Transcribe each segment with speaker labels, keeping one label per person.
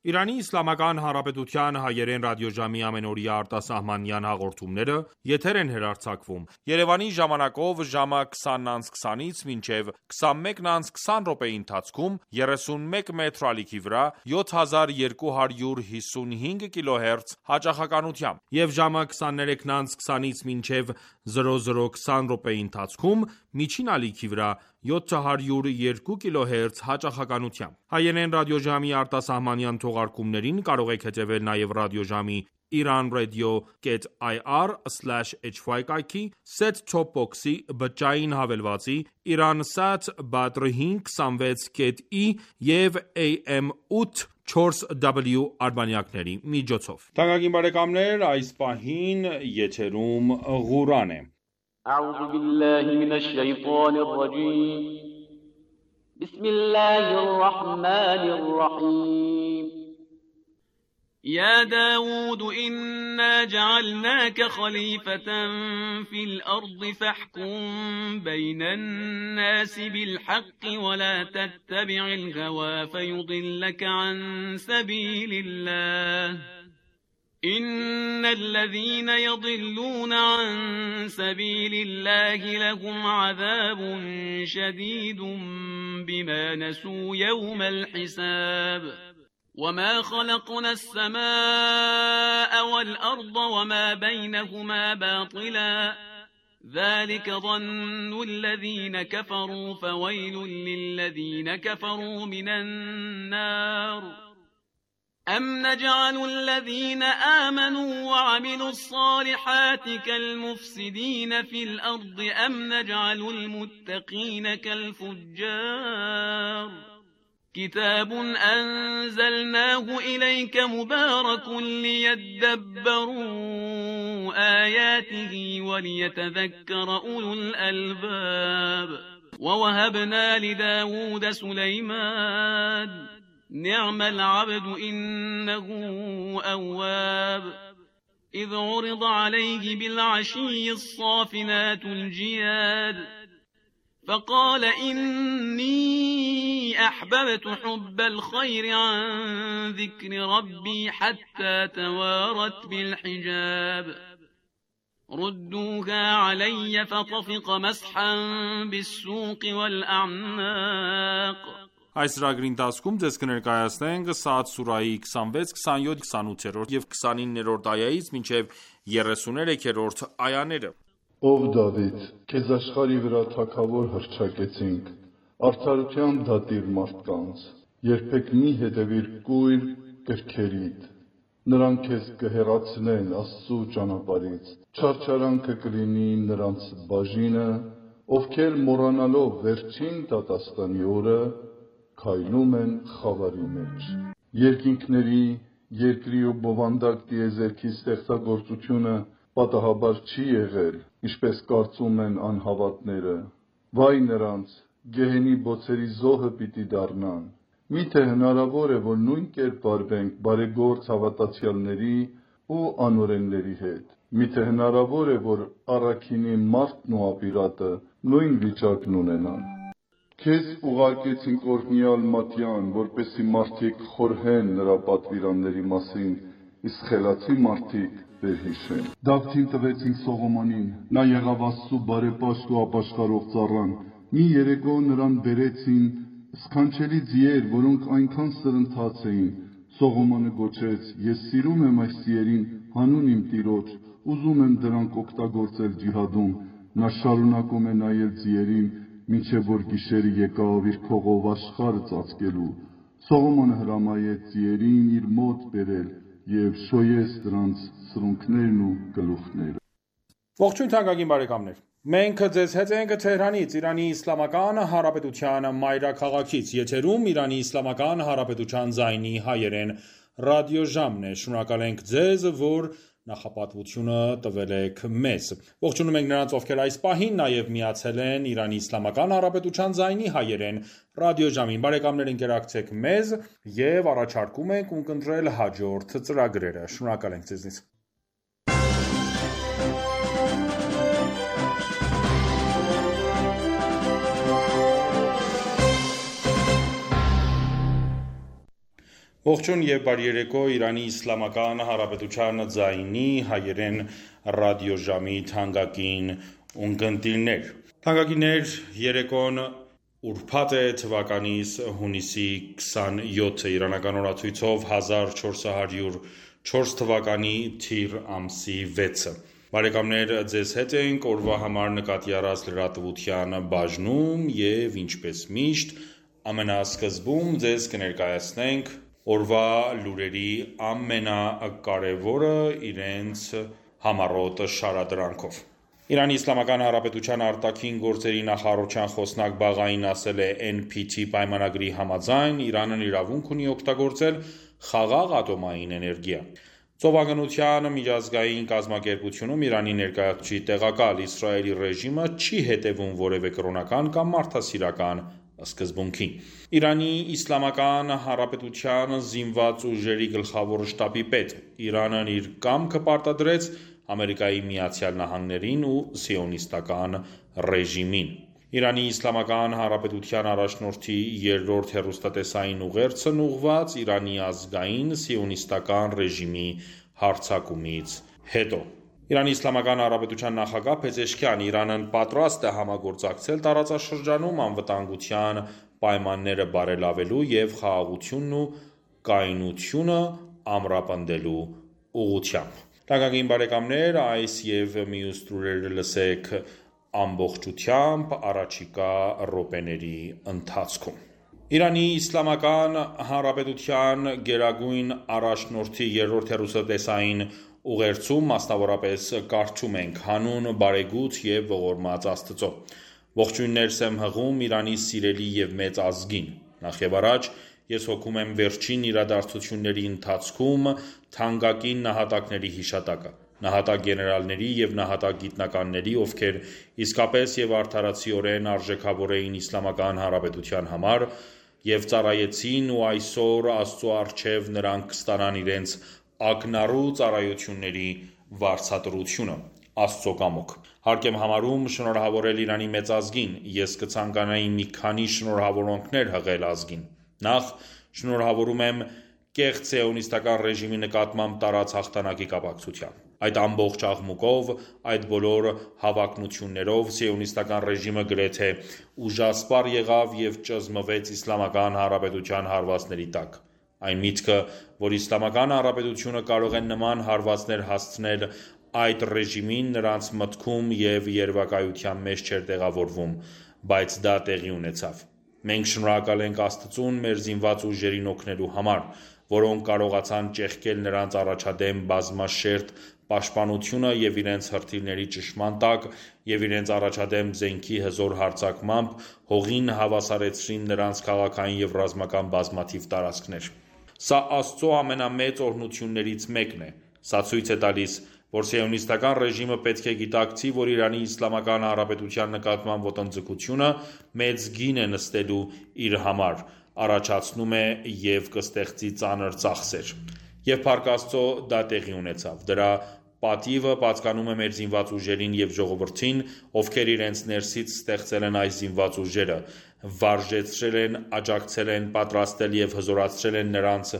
Speaker 1: Իրանի Իսլամական Հանրապետության հայերեն ռադիոժամի ամենօրյա արտասահմանյան հաղորդումները եթեր են հեռարձակվում Երևանի ժամանակով ժամը 20:20-ից մինչև 21:20 րոպեի ընթացքում 31 մետրի ալիքի վրա 7255 կիլոհերց հաճախականությամբ եւ ժամը 23:20-ից մինչև 00:20 րոպեի ընթացքում միջին ալիքի վրա 702 կիլոհերց հաճախականությամբ։ Հայերեն ռադիոժամի արտասահմանյան թողարկումներին կարող եք հետևել նաև ռադիոժամի iranradio.ir/hy կայքի, set-top box-ի, բջջային հավելվածի, Iransat Badr 526.i եւ AM 8/4W արբանյակների միջոցով։ Թանկագին բարեկամներ, այս պահին եթերում Ղուրան է։
Speaker 2: أعوذ بالله من الشيطان الرجيم بسم الله الرحمن الرحيم
Speaker 3: يا داود إنا جعلناك خليفة في الأرض فاحكم بين الناس بالحق ولا تتبع الهوى فيضلك عن سبيل الله إن الذين يضلون عن سبيل الله لهم عذاب شديد بما نسوا يوم الحساب وما خلقنا السماء والأرض وما بينهما باطلا ذلك ظن الذين كفروا فويل للذين كفروا من النار أم نجعل الذين آمنوا وعملوا الصالحات كالمفسدين في الأرض أم نجعل المتقين كالفجار كتاب أنزلناه إليك مبارك ليدبروا آياته وليتذكر أولو الألباب ووهبنا لداود سليمان نعم العبد إنه أواب إذ عرض عليه بالعشي الصافنات الجياد فقال إني أحببت حب الخير عن ذكر ربي حتى توارت بالحجاب ردوها علي فطفق مسحا بالسوق والأعناق
Speaker 1: Այս ծրագրի ընթացքում ձեզ կներկայացնենք Սաադ սուրահի 26, 27, 28 եւ 29-րդ այայից մինչեւ 33-րդ այաները։
Speaker 4: Ով Դավիթ, քեզ աշխարհի վրա թագավոր հռչակեցինք, արդարության դատիր մարդկանց, երբեք մի հետևիր կույր կրքերիդ, նրանք քեզ կհեռացնեն Աստծու ճանապարհից, չարչարանքը կլինի նրանց բաժինը, ովքեր մոռանալով վերջին դատաստանի օրը քայլում են խավարի մեջ։ Երկինքների, երկրի ու բովանդակ տիեզերքի ստեղծագործությունը պատահաբար չի եղել, ինչպես կարծում են անհավատները։ Վայ նրանց, գեհենի բոցերի զոհը պիտի դառնան։ Միթե հնարավոր է, որ նույն կերպ վարվենք բարեգործ հավատացյալների ու անօրենների հետ։ Միթե հնարավոր է, որ առաքինի մարդն ու ապիրատը նույն վիճակն ունենան։ Քեզ ուղարկեցինք օրհնյալ Մատյան, որպեսզի մարդիկ խորհեն նրա պատվիրանների մասին, իսկ խելացի մարդիկ վերհիշեն։ Դավթին տվեցինք Սողոմոնին, նա եղավ Աստծու բարեպաշտ ու ապաշխարող ծառան։ Մի երեկո նրան բերեցին սքանչելի ձիեր, որոնք այնքան սրընթաց էին։ Սողոմոնը գոչեց. Ես սիրում եմ այս ձիերին հանուն իմ Տիրոջ, ուզում եմ դրանք օգտագործել ջիհադում։ Նա շարունակում է նայել ձիերին, մինչև որ գիշերը եկավ իր քողով աշխարհը ծածկելու։ Սողոմոնը հրամայեց ձիերին իր մոտ բերել եւ շոյեց դրանց սրունքներն ու գլուխները։
Speaker 1: Ողջույն թանկագին բարեկամներ։ Մենք ձեզ հետ ենք Թեհրանից, Իրանի Իսլամական Հանրապետության մայրաքաղաքից, եթերում Իրանի Իսլամական Հանրապետության ձայնի հայերեն ռադիոժամն է։ Շնորհակալ ենք ձեզ, որ նախապատվությունը տվել եք մեզ։ Ողջունում ենք նրանց, ովքեր այս պահին նաև միացել են Իրանի Իսլամական Հանրապետության ձայնի հայերեն ռադիոժամին։ Բարեկամներ, ընկերակցեք մեզ եւ առաջարկում ենք ունկնդրել հաջորդ ծրագրերը։ Շնորհակալ ենք ձեզնից։ Ողջույն եւ բարի երեկո Իրանի Իսլամական Հանրապետության ձայնի հայերեն ռադիոժամի թանկագին ունկնդիրներ։ Թանկագիններ, երեկոն ուրբաթ է թվականիս հունիսի 27-ը իրանական օրացույցով 1404 թվականի թիր ամսի 6-ը։ Բարեկամներ, ձեզ հետ ենք օրվա համար նկատի առած լրատվության բաժնում եւ ինչպես միշտ ամենասկզբում ձեզ կներկայացնենք օրվա լուրերի ամենակարևորը իրենց համառոտ շարադրանքով։ Իրանի Իսլամական Հանրապետության արտաքին գործերի նախարարության խոսնակ Բաղային ասել է NPT պայմանագրի համաձայն Իրանն իրավունք ունի օգտագործել խաղաղ ատոմային էներգիա։ Ծովագնության միջազգային կազմակերպությունում Իրանի ներկայացուցիչ տեղակալ Իսրայելի ռեժիմը չի հետևում որևէ կրոնական կամ մարդասիրական սկզբունքի։ Իրանի Իսլամական Հանրապետության զինված ուժերի գլխավոր շտաբի պետ Իրանն իր կամքը պարտադրեց Ամերիկայի Միացյալ Նահանգներին ու սիոնիստական ռեժիմին։ Իրանի Իսլամական Հանրապետության առաջնորդի երրորդ հեռուստատեսային ուղերձն ուղղված Իրանի ազգային սիոնիստական ռեժիմի հարձակումից հետո։ Իրանի Իսլամական Հանրապետության նախագահ Փեզեշքիան Իրանն պատրաստ է համագործակցել տարածաշրջանում անվտանգության պայմանները բարելավելու եւ խաղաղությունն ու կայունությունը ամրապնդելու ուղղությամբ։ Թանկագին բարեկամներ, այս եւ մյուս լուրերը լսեք ամբողջությամբ առաջիկա րոպեների ընթացքում։ Իրանի Իսլամական Հանրապետության գերագույն առաջնորդի երրորդ հեռուստատեսային ուղերձում մասնավորապես կարդում ենք. հանուն բարեգութ եւ ողորմած Աստծո։ Ողջույններս եմ հղում Իրանի սիրելի եւ մեծ ազգին։ Նախ եւ առաջ ես հոգում եմ վերջին իրադարձությունների ընթացքում թանկագին նահատակների հիշատակը, նահատակ գեներալների եւ նահատակ գիտնականների, ովքեր իսկապես եւ արդարացիորեն արժեքավոր էին Իսլամական Հանրապետության համար եւ ծառայեցին ու այսօր Աստծո առջև նրանք կստանան իրենց ակնառու ծառայությունների վարձատրությունը Աստծո կամոք։ Հարկ եմ համարում շնորհավորել Իրանի մեծ ազգին, ես կցանկանայի մի քանի շնորհավորանքներ հղել ազգին։ Նախ շնորհավորում եմ կեղծ սիոնիստական ռեժիմի նկատմամբ տարած հաղթանակի կապակցությամբ։ Այդ ամբողջ աղմուկով, այդ բոլոր հավակնություններով սիոնիստական ռեժիմը գրեթե ուժասպառ եղավ եւ ճզմվեց Իսլամական Հանրապետության հարվածների տակ։ Այն միտքը, որ Իսլամական Հանրապետությունը կարող է նման հարվածներ հասցնել այդ ռեժիմին, նրանց մտքում եւ երևակայության մեջ չէր տեղավորվում, բայց դա տեղի ունեցավ։ Մենք շնորհակալ ենք Աստծուն մեր զինված ուժերին օգնելու համար, որոնք կարողացան ճեղքել նրանց առաջադեմ բազմաշերտ պաշտպանությունը եւ իրենց հրթիռների ճնշման տակ եւ իրենց առաջադեմ զենքի հզոր հարձակմամբ հողին հավասարեցրին նրանց քաղաքային եւ ռազմական բազմաթիվ տարածքներ։ Սա Աստծո ամենամեծ օրհնություններից մեկն է։ Սա ցույց է տալիս, որ սիոնիստական ռեժիմը պետք է գիտակցի, որ Իրանի Իսլամական Հանրապետության նկատմամբ ոտնձգությունը մեծ գին է նստելու իր համար, առաջացնում է եւ կստեղծի ծանր ծախսեր։ Եվ Փառք Աստծո դա տեղի ունեցավ։ Դրա պատիվը պատկանում է մեր զինված ուժերին եւ ժողովրդին, ովքեր իրենց ներսից ստեղծել են այս զինված ուժերը, վարժեցրել են, աջակցել են, պատրաստել եւ հզորացրել են նրանց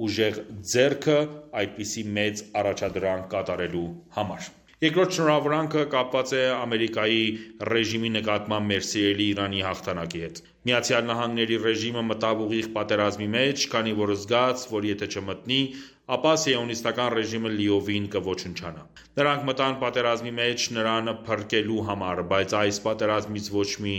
Speaker 1: ուժեղ ձեռքը այդպիսի մեծ առաջադրանք կատարելու համար։ Երկրորդ շնորհավորանքը կապված է Ամերիկայի ռեժիմի նկատմամբ մեր սիրելի Իրանի հաղթանակի հետ։ Միացյալ Նահանգների ռեժիմը մտավ ուղիղ պատերազմի մեջ, քանի որ զգաց, որ եթե չմտնի, ապա սիոնիստական ռեժիմը լիովին կոչնչանա։ Նրանք մտան պատերազմի մեջ նրան փրկելու համար, բայց այս պատերազմից ոչ մի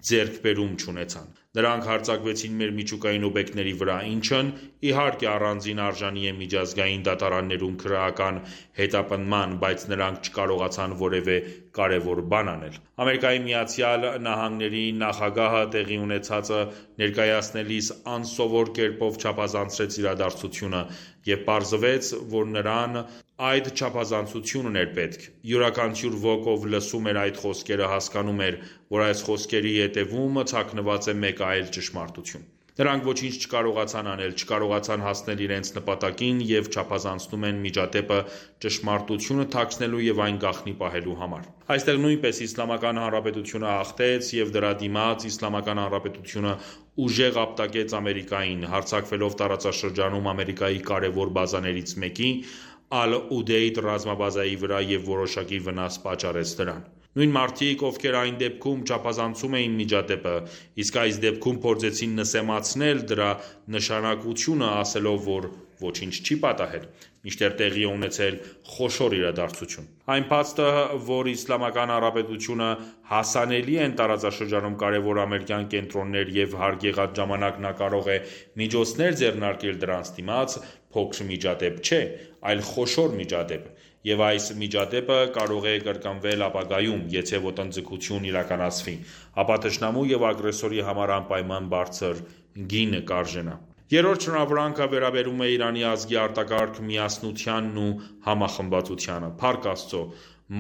Speaker 1: ձեռքբերում չունեցան։ Նրանք հարձակվեցին մեր միջուկային օբյեկտների վրա, ինչն իհարկե առանձին արժանի է միջազգային դատարաններում քրեական հետապնդման, բայց նրանք չկարողացան որևէ կարևոր բան անել։ Ամերիկայի Միացյալ Նահանգների նախագահը տեղի ունեցածը ներկայացնելիս անսովոր կերպով չափազանցրեց իրադարձությունը եւ պարզվեց, որ նրան այդ չափազանցությունն էր պետք։ Յուրաքանչյուր ոք, ով լսում էր այդ խոսքերը, հասկանում էր, որ այս խոսքերի հետևում թաքնված է մեկ այլ ճշմարտություն։ Նրանք ոչինչ չկարողացան անել, չկարողացան հասնել իրենց նպատակին և չափազանցնում են միջադեպը ճշմարտությունը թաքցնելու և այն գաղտնի պահելու համար։ Այստեղ նույնպես Իսլամական Հանրապետությունը հաղթեց և դրա դիմաց Իսլամական Հանրապետությունը ուժեղ ապտակեց Ամերիկային, հարձակվելով տարածաշրջանում Ամերիկայի կարևոր բազաներից մեկի՝ Ալ-Ուդեյդ ռազմաբազայի վրա և որոշակի վնաս պատճառեց դրան։ Նույն մարդիկ, ովքեր այն դեպքում չափազանցում էին միջադեպը, իսկ այս դեպքում փորձեցին նսեմացնել դրա նշանակությունը, ասելով, որ ոչինչ չի պատահել, մինչդեռ տեղի է ունեցել խոշոր իրադարձություն։ Այն փաստը, որ Իսլամական Հանրապետությունը հասանելի են տարածաշրջանում կարևոր ամերիկյան կենտրոններ և հարկ եղած ժամանակ նա կարող է միջոցներ ձեռնարկել դրանց դիմաց, փոքր միջադեպ չէ, այլ խոշոր միջադեպ, և այս միջադեպը կարող է կրկնվել ապագայում, եթե ոտնձգություն իրականացվի, ապա թշնամու և ագրեսորի համար անպայման բարձր գին կարժենա։ Երրորդ շնորհավորանքը վերաբերում է Իրանի ազգի արտակարգ միասնությանն ու համախմբվածությանը։ Փառք Աստծո,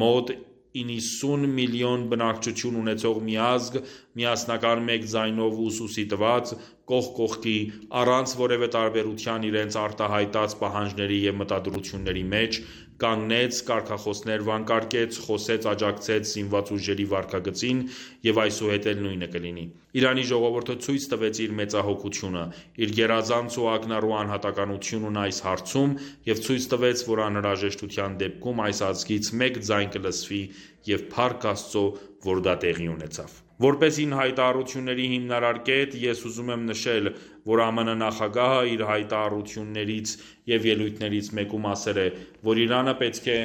Speaker 1: մոտ 90 միլիոն բնակչություն ունեցող մի ազգ, միասնական մեկ ձայնով ու ուսուցի տված, կողք կողքի, առանց որևէ տարբերության իրենց արտահայտած պահանջների և մտադրությունների մեջ, կանգնեց, կարգախոսներ վանկարկեց, խոսեց, աջակցեց զինված ուժերի վարքագծին և այսուհետ էլ նույնը կլինի։ Իրանի ժողովուրդը ցույց տվեց իր մեծահոգությունը, իր գերազանց ու ակնառու անհատականությունն այս հարցում և ցույց տվեց, որ անհրաժեշտության դեպքում այս ազգից մեկ ձայն կլսվի և փառք Աստծո, որ դա տեղի ունեցավ։ Որպես իմ հայտարարությունների հիմնարար կետ, ես ուզում եմ նշել, որ ԱՄՆ նախագահը իր հայտարարություններից և ելույթներից մեկում ասել է, որ Իրանը պետք է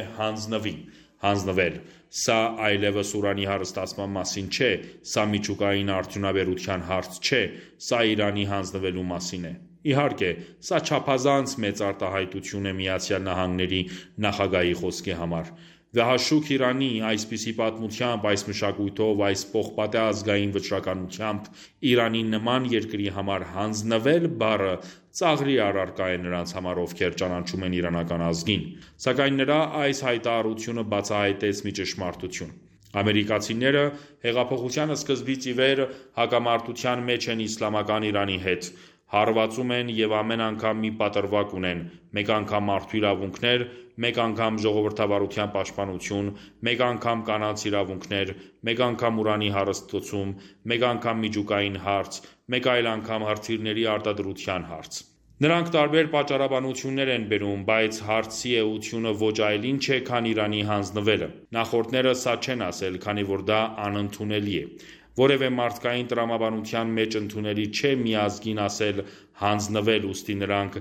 Speaker 1: հանձնվել։ Սա այլևս ուրանի հարստացման մասին չէ, սա միջուկային արդյունաբերության հարց չէ, սա Իրանի հանձնվելու մասին է։ Իհարկե, սա չափազանց մեծ արտահայտություն է ԱՄՆ-ի նախագահի խոսքի համար։ Վեհաշուք Իրանի, այսպիսի պատմությամբ, այս մշակույթով, այս պողպատե ազգային վճռականությամբ Իրանի նման երկրի համար հանձնվել բառը ծաղրի առարկա է նրանց համար, ովքեր ճանաչում են իրանական ազգին։ Սակայն նրա այս հայտարարությունը բացահայտեց մի ճշմարտություն։ Ամերիկացիները հեղափոխության սկզբից ի վեր հակամարտության մեջ են իսլամական Իրանի հետ, հարվածում են և ամեն անգամ մի պատրվակ ունեն, մեկ անգամ մարդու իրավունքներ, մեկ անգամ ժողովրդավարության պաշտպանություն, մեկ անգամ կանանց իրավունքներ, մեկ անգամ ուրանի հարստացում, մեկ անգամ միջուկային հարց, մեկ այլ անգամ հրթիռների արտադրության հարց։ Նրանք տարբեր պատճառաբանություններ են բերում, բայց հարցի էությունը ոչ այլ ինչ է, քան Իրանի հանձնվելը։ Նախորդները սա չեն ասել, քանի որ դա անընդունելի է։ Որևէ մարդկային տրամաբանության մեջ ընդունելի չէ մի ազգին ասել հանձնվել, ուստի նրանք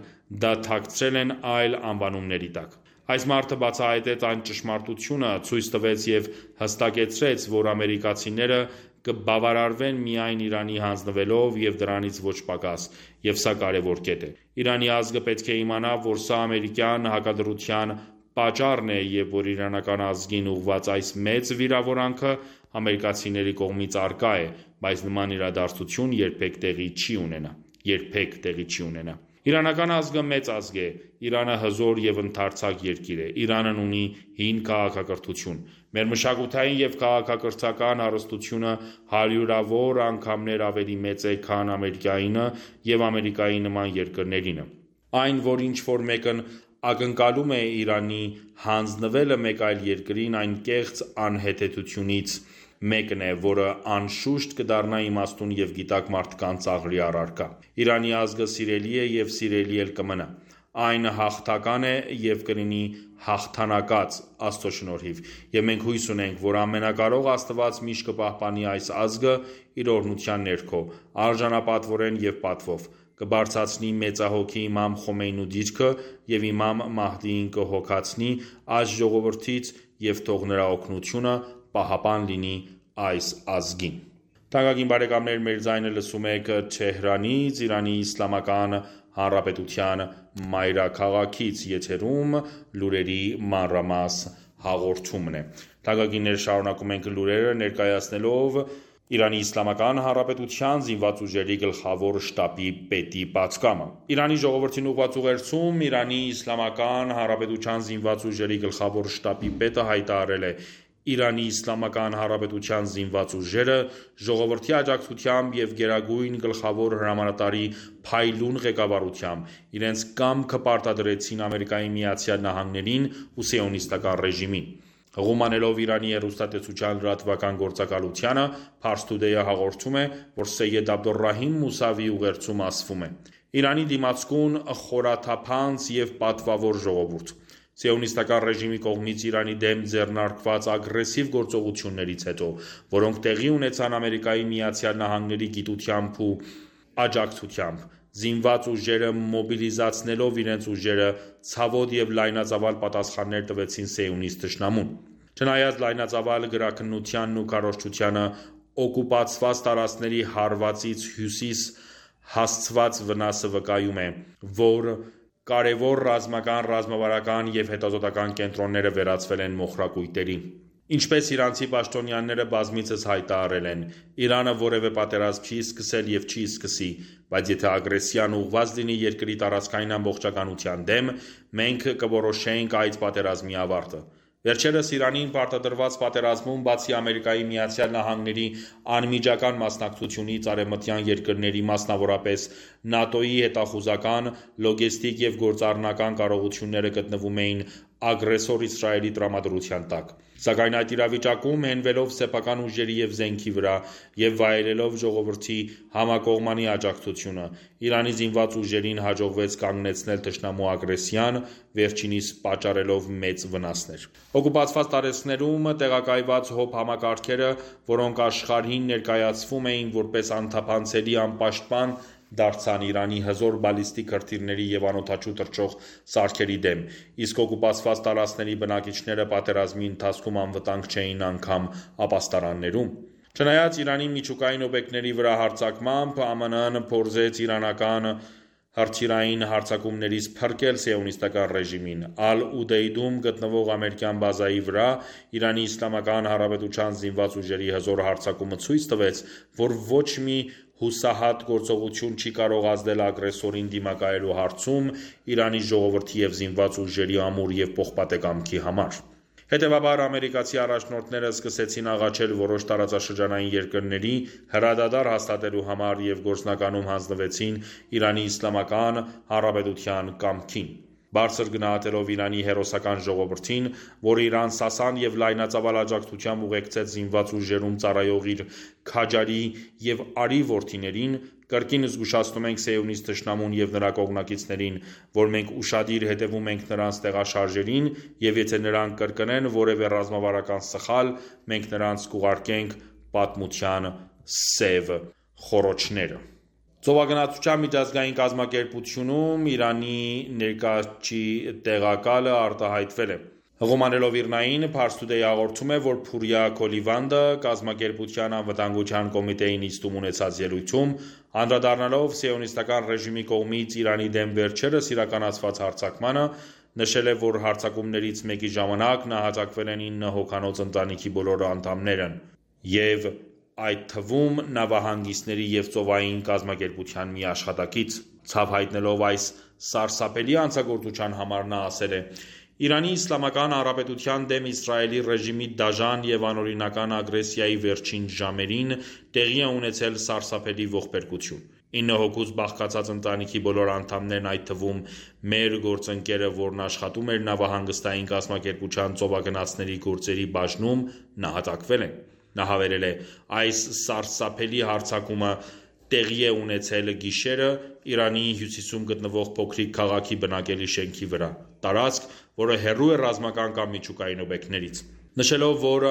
Speaker 1: դա թաքցրել են այլ անվանումների տակ։ Այս մարդը բացահայտեց այն ճշմարտությունը, ցույց տվեց և հստակեցրեց, որ ամերիկացիները կբավարարվեն միայն Իրանի հանձնվելով և դրանից ոչ պակաս, և սա կարևոր կետ է։ Իրանի ազգը պետք է իմանա, որ սա ամերիկյան հակադրության պատճառն է և որ իրանական ազգին ուղղված այս մեծ վիրավորանքը ամերիկացիների կողմից առկա է, բայց նման իրադարձություն երբեք տեղի չի ունենա։ Իրանական ազգը մեծ ազգ է, Իրանը հզոր և ընդարձակ երկիր է, Իրանն ունի հին քաղաքակրթություն։ Մեր մշակութային և քաղաքակրթական հարստությունը հարյուրավոր անգամներ ավելի մեծ է, քան Ամերիկայինը և Ամերիկայի նման երկրներինը։ Այն, որ ինչ-որ մեկն ակնկալում է Իրանի հանձնվելը մեկ այլ երկրին, այն կեղծ անհեթեթությունից մեկն է, որը անշուշտ կդառնա իմաստուն և գիտակ մարդկանց ծաղրի առարկա։ Իրանի ազգը սիրելի է և սիրելի էլ կմնա։ Այն հաղթական է և կլինի հաղթանակած Աստծո շնորհիվ, և մենք հույս ունենք, որ ամենակարող Աստված միշտ կպահպանի այս ազգը իր օրհնության ներքո, արժանապատվորեն և պատվով, կբարձրացնի մեծահոգի Իմամ Խոմեյնու դիրքը և Իմամ Մահդիին կհոգացնի այս ժողովրդից և թող նրա օգնությունը պահապան լինի այս ազգին։ Թանկագին բարեկամներ, մեր ձայնը լսում եք Թեհրանից, Իրանի Իսլամական Հանրապետության մայրաքաղաքից, եթերում լուրերի մանրամաս հաղորդումն է։ Թանկագիններ, շարունակում ենք լուրերը ներկայացնելով Իրանի Իսլամական Հանրապետության զինված ուժերի գլխավոր շտաբի պետի պատգամը։ Իրանի ժողովրդին ուղղված ուղերձում Իրանի Իսլամական Հանրապետության զինված ուժերի գլխավոր շտաբի պետը հայտարարել է. Իրանի Իսլամական Հանրապետության զինված ուժերը ժողովրդի աջակցությամբ և Գերագույն գլխավոր հրամանատարի փայլուն ղեկավարությամբ իրենց կամքը պարտադրեցին Ամերիկայի Միացյալ Նահանգներին ու սիոնիստական ռեժիմին։ Հղում անելով Իրանի հեռուստատեսության լրատվական գործակալությանը, Pars Today-ը հաղորդում է, որ Սեյեդ Աբդոլռահիմ Մուսավի ուղերձում ասվում է. Իրանի դիմացկուն, խորաթափանց և պատվավոր ժողովուրդ, Սիոնիստական ռեժիմի կողմից Իրանի դեմ ձեռնարկված ագրեսիվ գործողություններից հետո, որոնք տեղի ունեցան Ամերիկայի Միացյալ Նահանգների գիտությամբ ու աջակցությամբ, զինված ուժերը մոբիլիզացնելով իրենց ուժերը ցավոտ և լայնածավալ պատասխաններ տվեցին սիոնիստ թշնամուն։ Չնայած լայնածավալ գրաքննությանն ու քարոզչությանը, օկուպացված տարածքների հարվածից հյուսիս հասցված վնասը վկայում է, որ կարևոր ռազմական, ռազմավարական և հետազոտական կենտրոնները վերածվել են մոխրակույտերի։ Ինչպես իրանցի պաշտոնյաները բազմիցս հայտարարել են, Իրանը որևէ պատերազմ չի սկսել և չի սկսի, բայց եթե ագրեսիան ուղղված լինի երկրի տարածքային ամբողջականության դեմ, մենք կորոշենք այդ պատերազմի ավարտը։ Վերջերս Իրանին պարտադրված պատերազմում, բացի Ամերիկայի Միացյալ Նահանգների անմիջական մասնակցությունից, արևմտյան երկրների, մասնավորապես ՆԱՏՕ-ի հետախուզական, լոգեստիկ և գործառնական կարողությունները գտնվում էին ագրեսոր Իսրայելի տրամադրության տակ։ Սակայն այդ իրավիճակում, հենվելով սեփական ուժերի և զենքի վրա և վայելելով ժողովրդի համակողմանի աջակցությունը, Իրանի զինված ուժերին հաջողվեց կանգնեցնել թշնամու ագրեսիան, վերջինիս պատճառելով մեծ վնասներ։ Օկուպացված տարածքներում տեղակայված ՀՕՊ համակարգերը, որոնք աշխարհին ներկայացվում էին որպես անթափանցելի անպաշտպան, դարձան Իրանի հզոր բալիստիկ հրթիռների և անօդաչու թռչող սարքերի դեմ, իսկ օկուպացված տարածքների բնակիչները պատերազմի ընթացքում անվտանգ չէին անգամ ապաստարաններում։ Չնայած Իրանի միջուկային օբյեկտների վրա հարձակմամբ, ԱՄՆ-ն փորձեց իրանական հրթիռային հարձակումներից փրկել սիոնիստական ռեժիմին։ Ալ-Ուդեյդում գտնվող ամերիկյան բազայի վրա Իրանի Իսլամական Հանրապետության զինված ուժերի հզոր հարձակումը ցույց տվեց, որ ոչ մի հուսահատ գործողություն չի կարող ազդել ագրեսորին դիմակայելու հարցում Իրանի ժողովրդի և զինված ուժերի ամուր և պողպատե կամքի համար։ Հետևաբար, ամերիկացի առաջնորդները սկսեցին աղաչել որոշ տարածաշրջանային երկրների հրադադար հաստատելու համար և գործնականում հանձնվեցին Իրանի Իսլամական Հանրապետության կամքին։ Բարձր գնահատելով Իրանի հերոսական ժողովրդին, որը իրան սասան և լայնածավալ աջակցությամբ ուղեկցեց զինված ուժերում ծառայող իր քաջարի և արի որդիներին, կրկին զգուշացնում ենք սիոնիստ թշնամուն և նրա կողմնակիցներին, որ մենք ուշադիր հետևում ենք նրանց տեղաշարժերին և եթե նրանք կրկնեն որևէ ռազմավարական սխալ, մենք նրանց կուղարկենք պատմության սև խոռոչները։ Ծովագնացության միջազգային կազմակերպությունում Իրանի ներկայացուցիչ տեղակալը արտահայտվել է։ Հղում անելով ԻՌՆԱ-ին, Pars Today հաղորդում է, որ Փուրիա Քոլիվանդը կազմակերպության անվտանգության կոմիտեի նիստում ունեցած ելույթում, անդրադառնալով սիոնիստական ռեժիմի կողմից Իրանի դեմ վերջերս իրականացված հարձակմանը, նշել է, որ հարձակումներից մեկի ժամանակ նահատակվել են 9 հոգանոց ընտանիքի բոլոր անդամները և այդ թվում նավահանգիստների և ծովային կազմակերպության մի աշխատակից։ Ցավ հայտնելով այս սարսափելի հանցագործության համար նա ասել է. Իրանի Իսլամական Հանրապետության դեմ Իսրայելի ռեժիմի դաժան և անօրինական ագրեսիայի վերջին ժամերին տեղի է ունեցել սարսափելի ողբերգություն։ 9 հոգուց բաղկացած ընտանիքի բոլոր անդամներն, այդ թվում մեր գործընկերը, որն աշխատում էր նավահանգստային կազմակերպության ծովագնացների գործերի բաժնում, նահատակվել են։ Նա հավելել է. այս սարսափելի հարձակումը տեղի է ունեցել գիշերը Իրանի հյուսիսում գտնվող փոքրիկ քաղաքի բնակելի շենքի վրա, տարածք, որը հեռու է ռազմական կամ միջուկային օբյեկտներից։ Նշելով, որ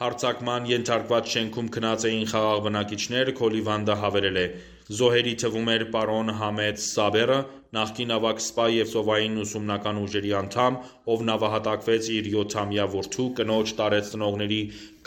Speaker 1: հարձակման ենթարկված շենքում քնած էին խաղաղ բնակիչներ, Քոլիվանդը հավելել է. Զոհերի թվում էր պարոն Համեդ Սաբերը, նախկին ավագ սպա և ծովային ուսումնական ուժերի անդամ, ով նավահատակվեց իր 7-ամյա որդու, կնոջ տարեցնողների,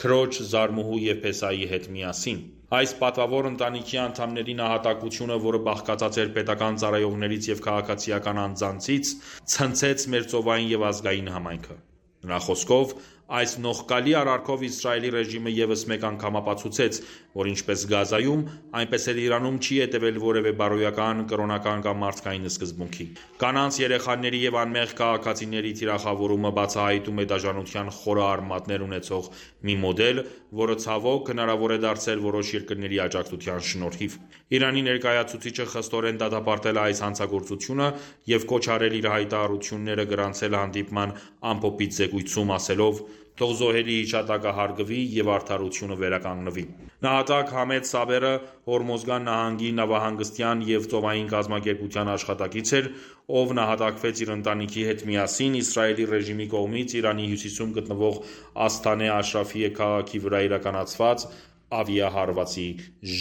Speaker 1: քրոջ, զարմուհու և փեսայի հետ միասին։ Այս պատվավոր ընտանիքի անդամների նահատակությունը, որը բաղկացած էր պետական ծառայողներից և քաղաքացիական անձանցից, ցնցեց մեր ծովային և ազգային համայնքը։ Նրա խոսքով, Այս նողկալի արարքով Իսրայելի ռեժիմը ևս մեկ անգամ ապացուցեց, որ ինչպես Գազայում, այնպես էլ Իրանում չի հետևել որևէ բարոյական, կրոնական կամ մարդկային սկզբունքի։ Կանանց, երեխաների և անմեղ քաղաքացիների թիրախավորումը բացահայտում է դաժանության խորը արմատներ ունեցող մի մոդել, որը ցավոք հնարավոր է դարձել որոշ երկրների աջակցության շնորհիվ։ Իրանի ներկայացուցիչը խստորեն դատապարտել է այս հանցագործությունը և կոչ արել իր հայտարարությունները գրանցել հանդիպման ամփոփիչ զեկույցում, ասելով. «Թող զոհերի հիշատակը հարգվի և արդարությունը վերականգնվի»։ Նահատակ Համեդ Սաբերը Հորմոզգան նահանգի նավահանգստյան և ծովային կազմակերպության աշխատակից էր, ով նահատակվեց իր ընտանիքի հետ միասին Իսրայելի ռեժիմի կողմից Իրանի հյուսիսում գտնվող Ասթանե Աշրաֆիե քաղաքի վրա իրականացված ավիահարվածի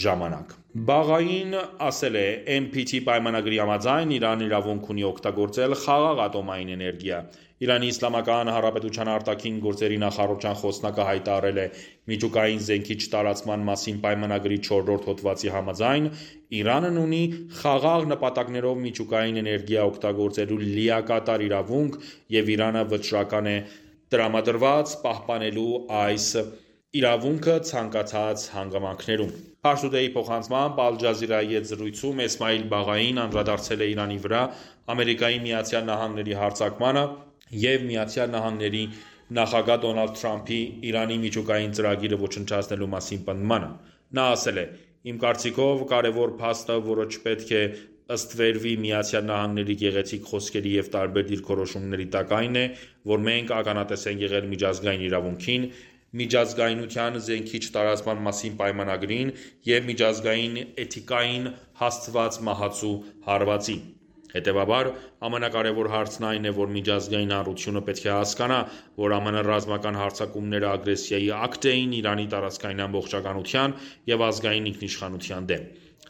Speaker 1: ժամանակ։ Բաղային ասել է. NPT պայմանագրի համաձայն Իրանն իրավունք ունի օգտագործել խաղաղ ատոմային էներգիա։ Իրանի Իսլամական Հանրապետության արտաքին գործերի նախարարության խոսնակը հայտարարել է. Միջուկային զենքի չտարածման մասին պայմանագրի 4-րդ հոդվածի համաձայն Իրանն ունի խաղաղ նպատակներով միջուկային էներգիա օգտագործելու լիակատար իրավունք և Իրանը վճռական է տրամադրված պահպանելու այս իրավունքը ցանկացած հանգամանքներում։ Pars Today-ի փոխանցմամբ Al Jazeera-ի հետ զրույցում Էսմայիլ Բաղային անդրադարձել է Իրանի վրա Ամերիկայի Միացյալ Նահանգների հարձակմանը և ԱՄՆ-ի նախագահ Դոնալդ Թրամփի Իրանի միջուկային ծրագիրը ոչնչացնելու մասին պնդմանը։ Նա ասել է. «Իմ կարծիքով կարևոր փաստը, որը չպետք է ըստվերվի ԱՄՆ-ի գեղեցիկ խոսքերի և տարբեր դիրքորոշումների տակ այն է, որ մենք ականատես ենք եղել միջազգային իրավունքին, միջազգայնության զենքի չտարածման մասին պայմանագրին և միջազգային էթիկային հասցված մահացու հարվածի։ Հետևաբար, ամենակարևոր հարցն այն է, որ միջազգային հանրությունը պետք է հասկանա, որ ԱՄՆ ռազմական հարձակումները ագրեսիայի ակտ էին Իրանի տարածքային ամբողջականության և ազգային ինքնիշխանության դեմ։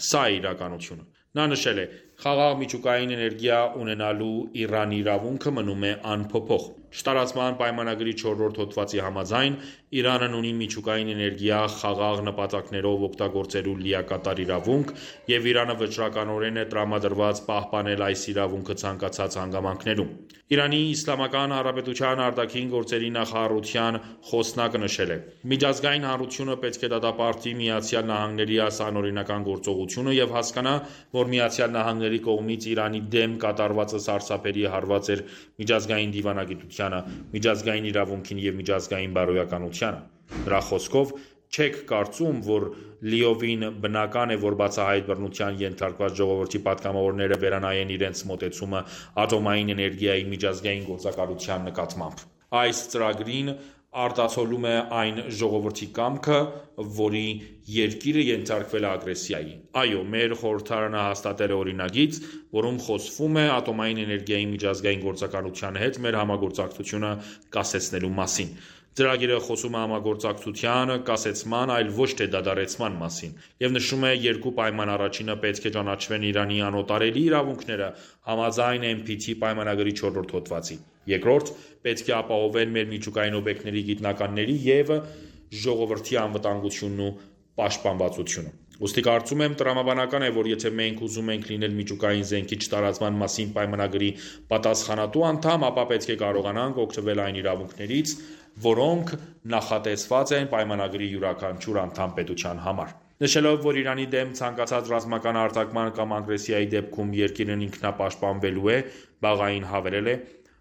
Speaker 1: Սա է իրականությունը»։ Նա նշել է. «Խաղաղ միջուկային էներգիա ունենալու Իրանի իրավունքը մնում է անփոփոխ։ Չտարածման պայմանագրի 4-րդ հոդվածի համաձայն Իրանն ունի միջուկային էներգիա խաղաղ նպատակներով օգտագործելու լիակատար իրավունք, և Իրանը վճռականորեն է տրամադրված պահպանել այս իրավունքը ցանկացած հանգամանքներում»։ Իրանի Իսլամական Հանրապետության արտաքին գործերի նախարարության խոսնակը նշել է. «Միջազգային հանրությունը պետք է դատապարտի ԱՄՆ-ի այս անօրինական գործողությունը և հասկանա, որ ԱՄՆ-ի կողմից Իրանի դեմ կատարվածը սարսափելի հարված էր միջազգային դիվանագիտությանը, միջազգային իրավունքին և միջազգային բարոյականությանը»։ Նրա խոսքով. «Չեք կարծում, որ լիովին բնական է, որ բացահայտ բռնության ենթարկված ժողովրդի պատգամավորները վերանայեն իրենց մոտեցումը ատոմային էներգիայի միջազգային գործակալության նկատմամբ։ Այս ծրագրին արտացոլում է այն ժողովրդի կամքը, որի երկիրը ենթարկվել է ագրեսիայի։ Այո, մեր խորհրդարանը հաստատել է օրինագիծ, որում խոսվում է ատոմային էներգիայի միջազգային գործակալության հետ մեր համագործակցությունը կասեցնելու մասին։ Ծրագիրը խոսում է համագործակցության կասեցման, այլ ոչ թե դադարեցման մասին, և նշում է երկու պայման. Առաջինը պետք է ճանաչվեն Իրանի անօտարելի իրավունքները համաձայն NPT պայմանագրի 4-րդ հոդվածի։ Երկրորդ, պետք է ապահովեն մեր միջուկային օբյեկտների գիտնականների և ժողովրդի անվտանգությունն ու պաշտպանվածությունը։ Ուստի կարծում եմ տրամաբանական է, որ եթե մենք ուզում ենք լինել միջուկային զենքի չտարածման մասին պայմանագրի պատասխանատու անդամ, ապա պետք է կարողանանք օգտվել այն իրավունքներից, որոնք նախատեսված են պայմանագրի յուրաքանչյուր անդամ պետության համար։ Նշելով, որ Իրանի դեմ ցանկացած ռազմական հարձակման կամ ագրեսիայի դեպքում երկիրն ինքնապաշտպանվելու է, Բաղային հավելել է.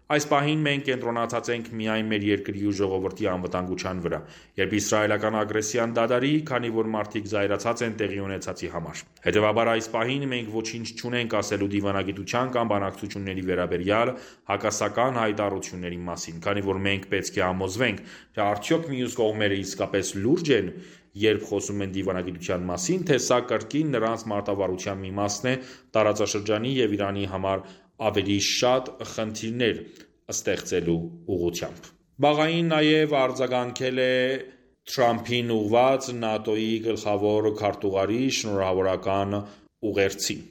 Speaker 1: «Այս պահին մենք կենտրոնացած ենք միայն մեր երկրի ու ժողովրդի անվտանգության վրա, երբ իսրայելական ագրեսիան դադարի, քանի որ մարդիկ զայրացած են տեղի ունեցածի համար։ Հետևաբար այս պահին մենք ոչինչ չունենք ասելու դիվանագիտության կամ բանակցությունների վերաբերյալ հակասական հայտարարությունների մասին, քանի որ մենք պետք է համոզվենք, թե արդյոք մյուս կողմերը իսկապես լուրջ են, երբ խոսում են դիվանագիտության մասին, թե սա կրկին նրանց մարտավարության մի մասն է տարածաշրջանի և Իրանի համար ավելի շատ խնդիրներ ստեղծելու ուղղությամբ»։ Բաղային նաև արձագանքել է Թրամփին ուղղված ՆԱՏՕ-ի գլխավոր քարտուղարի շնորհավորական ուղերձին։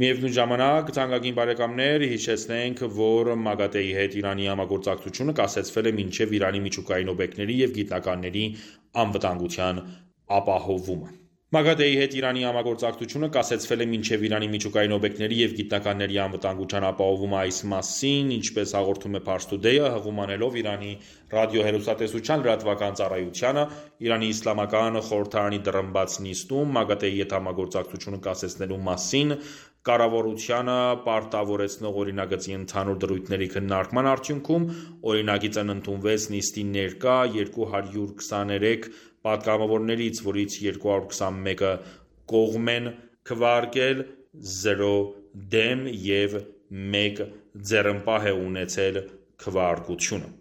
Speaker 1: Միևնույն ժամանակ, թանկագին բարեկամներ, հիշեցնենք, որ ՄԱԳԱՏԷ-ի հետ Իրանի համագործակցությունը կասեցվել է մինչև Իրանի միջուկային օբյեկտների և գիտնականների անվտանգության ապահովումը։ ՄԱԳԱՏԷ-ի հետ Իրանի համագործակցությունը կասեցվել է մինչև Իրանի միջուկային օբյեկտների և գիտնականների անվտանգության ապահովումը այս մասին, ինչպես հաղորդում է Pars Today-ը, հղում անելով Իրանի ռադիոհեռուստատեսության լրատվական ծառայությանը, Իրանի Իսլամական խորհրդարանի դռնբաց նիստում ՄԱԳԱՏԷ-ի հետ համագործակցությունը կասեցնելու մասին կառավարությանը պարտավորեցնող օրինագծի ընդհանուր դրույթների քննարկման արդյունքում օրինագիծն ընդունվեց նիստի ներկա 223 պատգամավորներից, որից 221-ը կողմ են քվեարկել, 0 դեմ և 1 ձեռնպահ է ունեցել քվեարկությունը։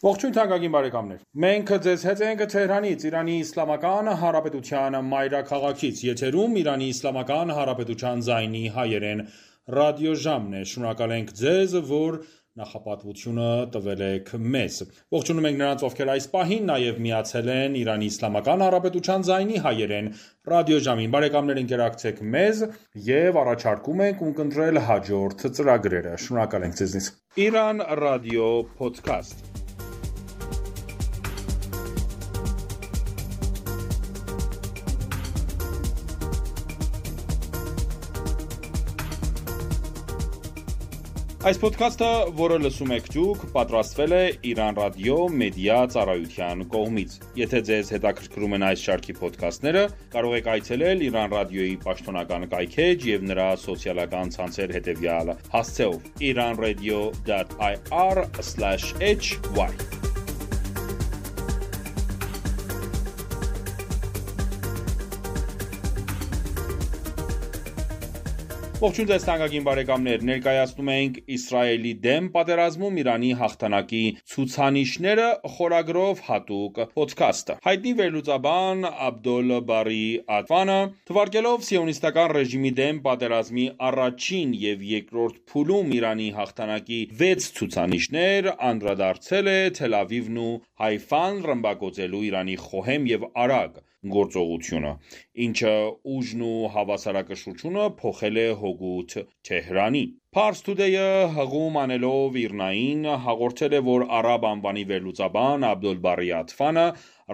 Speaker 1: Ողջույն թանկագին բարեկամներ։ Մենք ձեզ հետ ենք Թեհրանից, Իրանի Իսլամական Հանրապետության մայրաքաղաքից, եթերում Իրանի Իսլամական Հանրապետության ձայնի հայերեն ռադիոժամն է։ Շնորհակալ ենք ձեզ, որ նախապատվությունը տվել եք մեզ։ Ողջունում ենք նրանց, ովքեր այս պահին նաև միացել են Իրանի Իսլամական Հանրապետության ձայնի հայերեն ռադիոժամին։ Բարեկամներ, ընկերակցեք մեզ եւ առաջարկում ենք ունկնդրել հաջորդ ծրագրերը։ Շնորհակալ ենք ձեզնից։ Իրան ռադիո փոդքասթ։ Այս ոդքասթը, որը լսում եք դուք, պատրաստվել է Իրան ռադիո մեդիա ծառայության կողմից։ Եթե ձեզ հետաքրքրում են այս շարքի ոդքասթները, կարող եք այցելել Իրան ռադիոյի պաշտոնական կայքեջ և նրա սոցիալական ցանցեր հետևյալ հասցեով՝ iranradio.ir/hy Ողջույն ձեզ թանկագին բարեկամներ, ներկայացնում ենք Իսրայելի դեմ պատերազմում Իրանի հաղթանակի ցուցանիշները խորագրով հատուկ ոդքասթը։ Հայտնի վերլուծաբան Աբդոլ Բարի Աթվանը, թվարկելով սիոնիստական ռեժիմի դեմ պատերազմի առաջին և երկրորդ փուլում Իրանի հաղթանակի 6 ցուցանիշներ, անդրադարձել է Թել Ավիվն ու Հայֆան ռմբակոծելու Իրանի խոհեմ և արագ գործողությունը, ինչը ուժն ու հավասարակշռությունը փոխել է հօգուտ Թեհրանի։ Pars Today-ը հղում անելով Իրնային հաղորդել է, որ արաբ անվանի վերլուծաբան Աբդոլ Բարի Աթվանը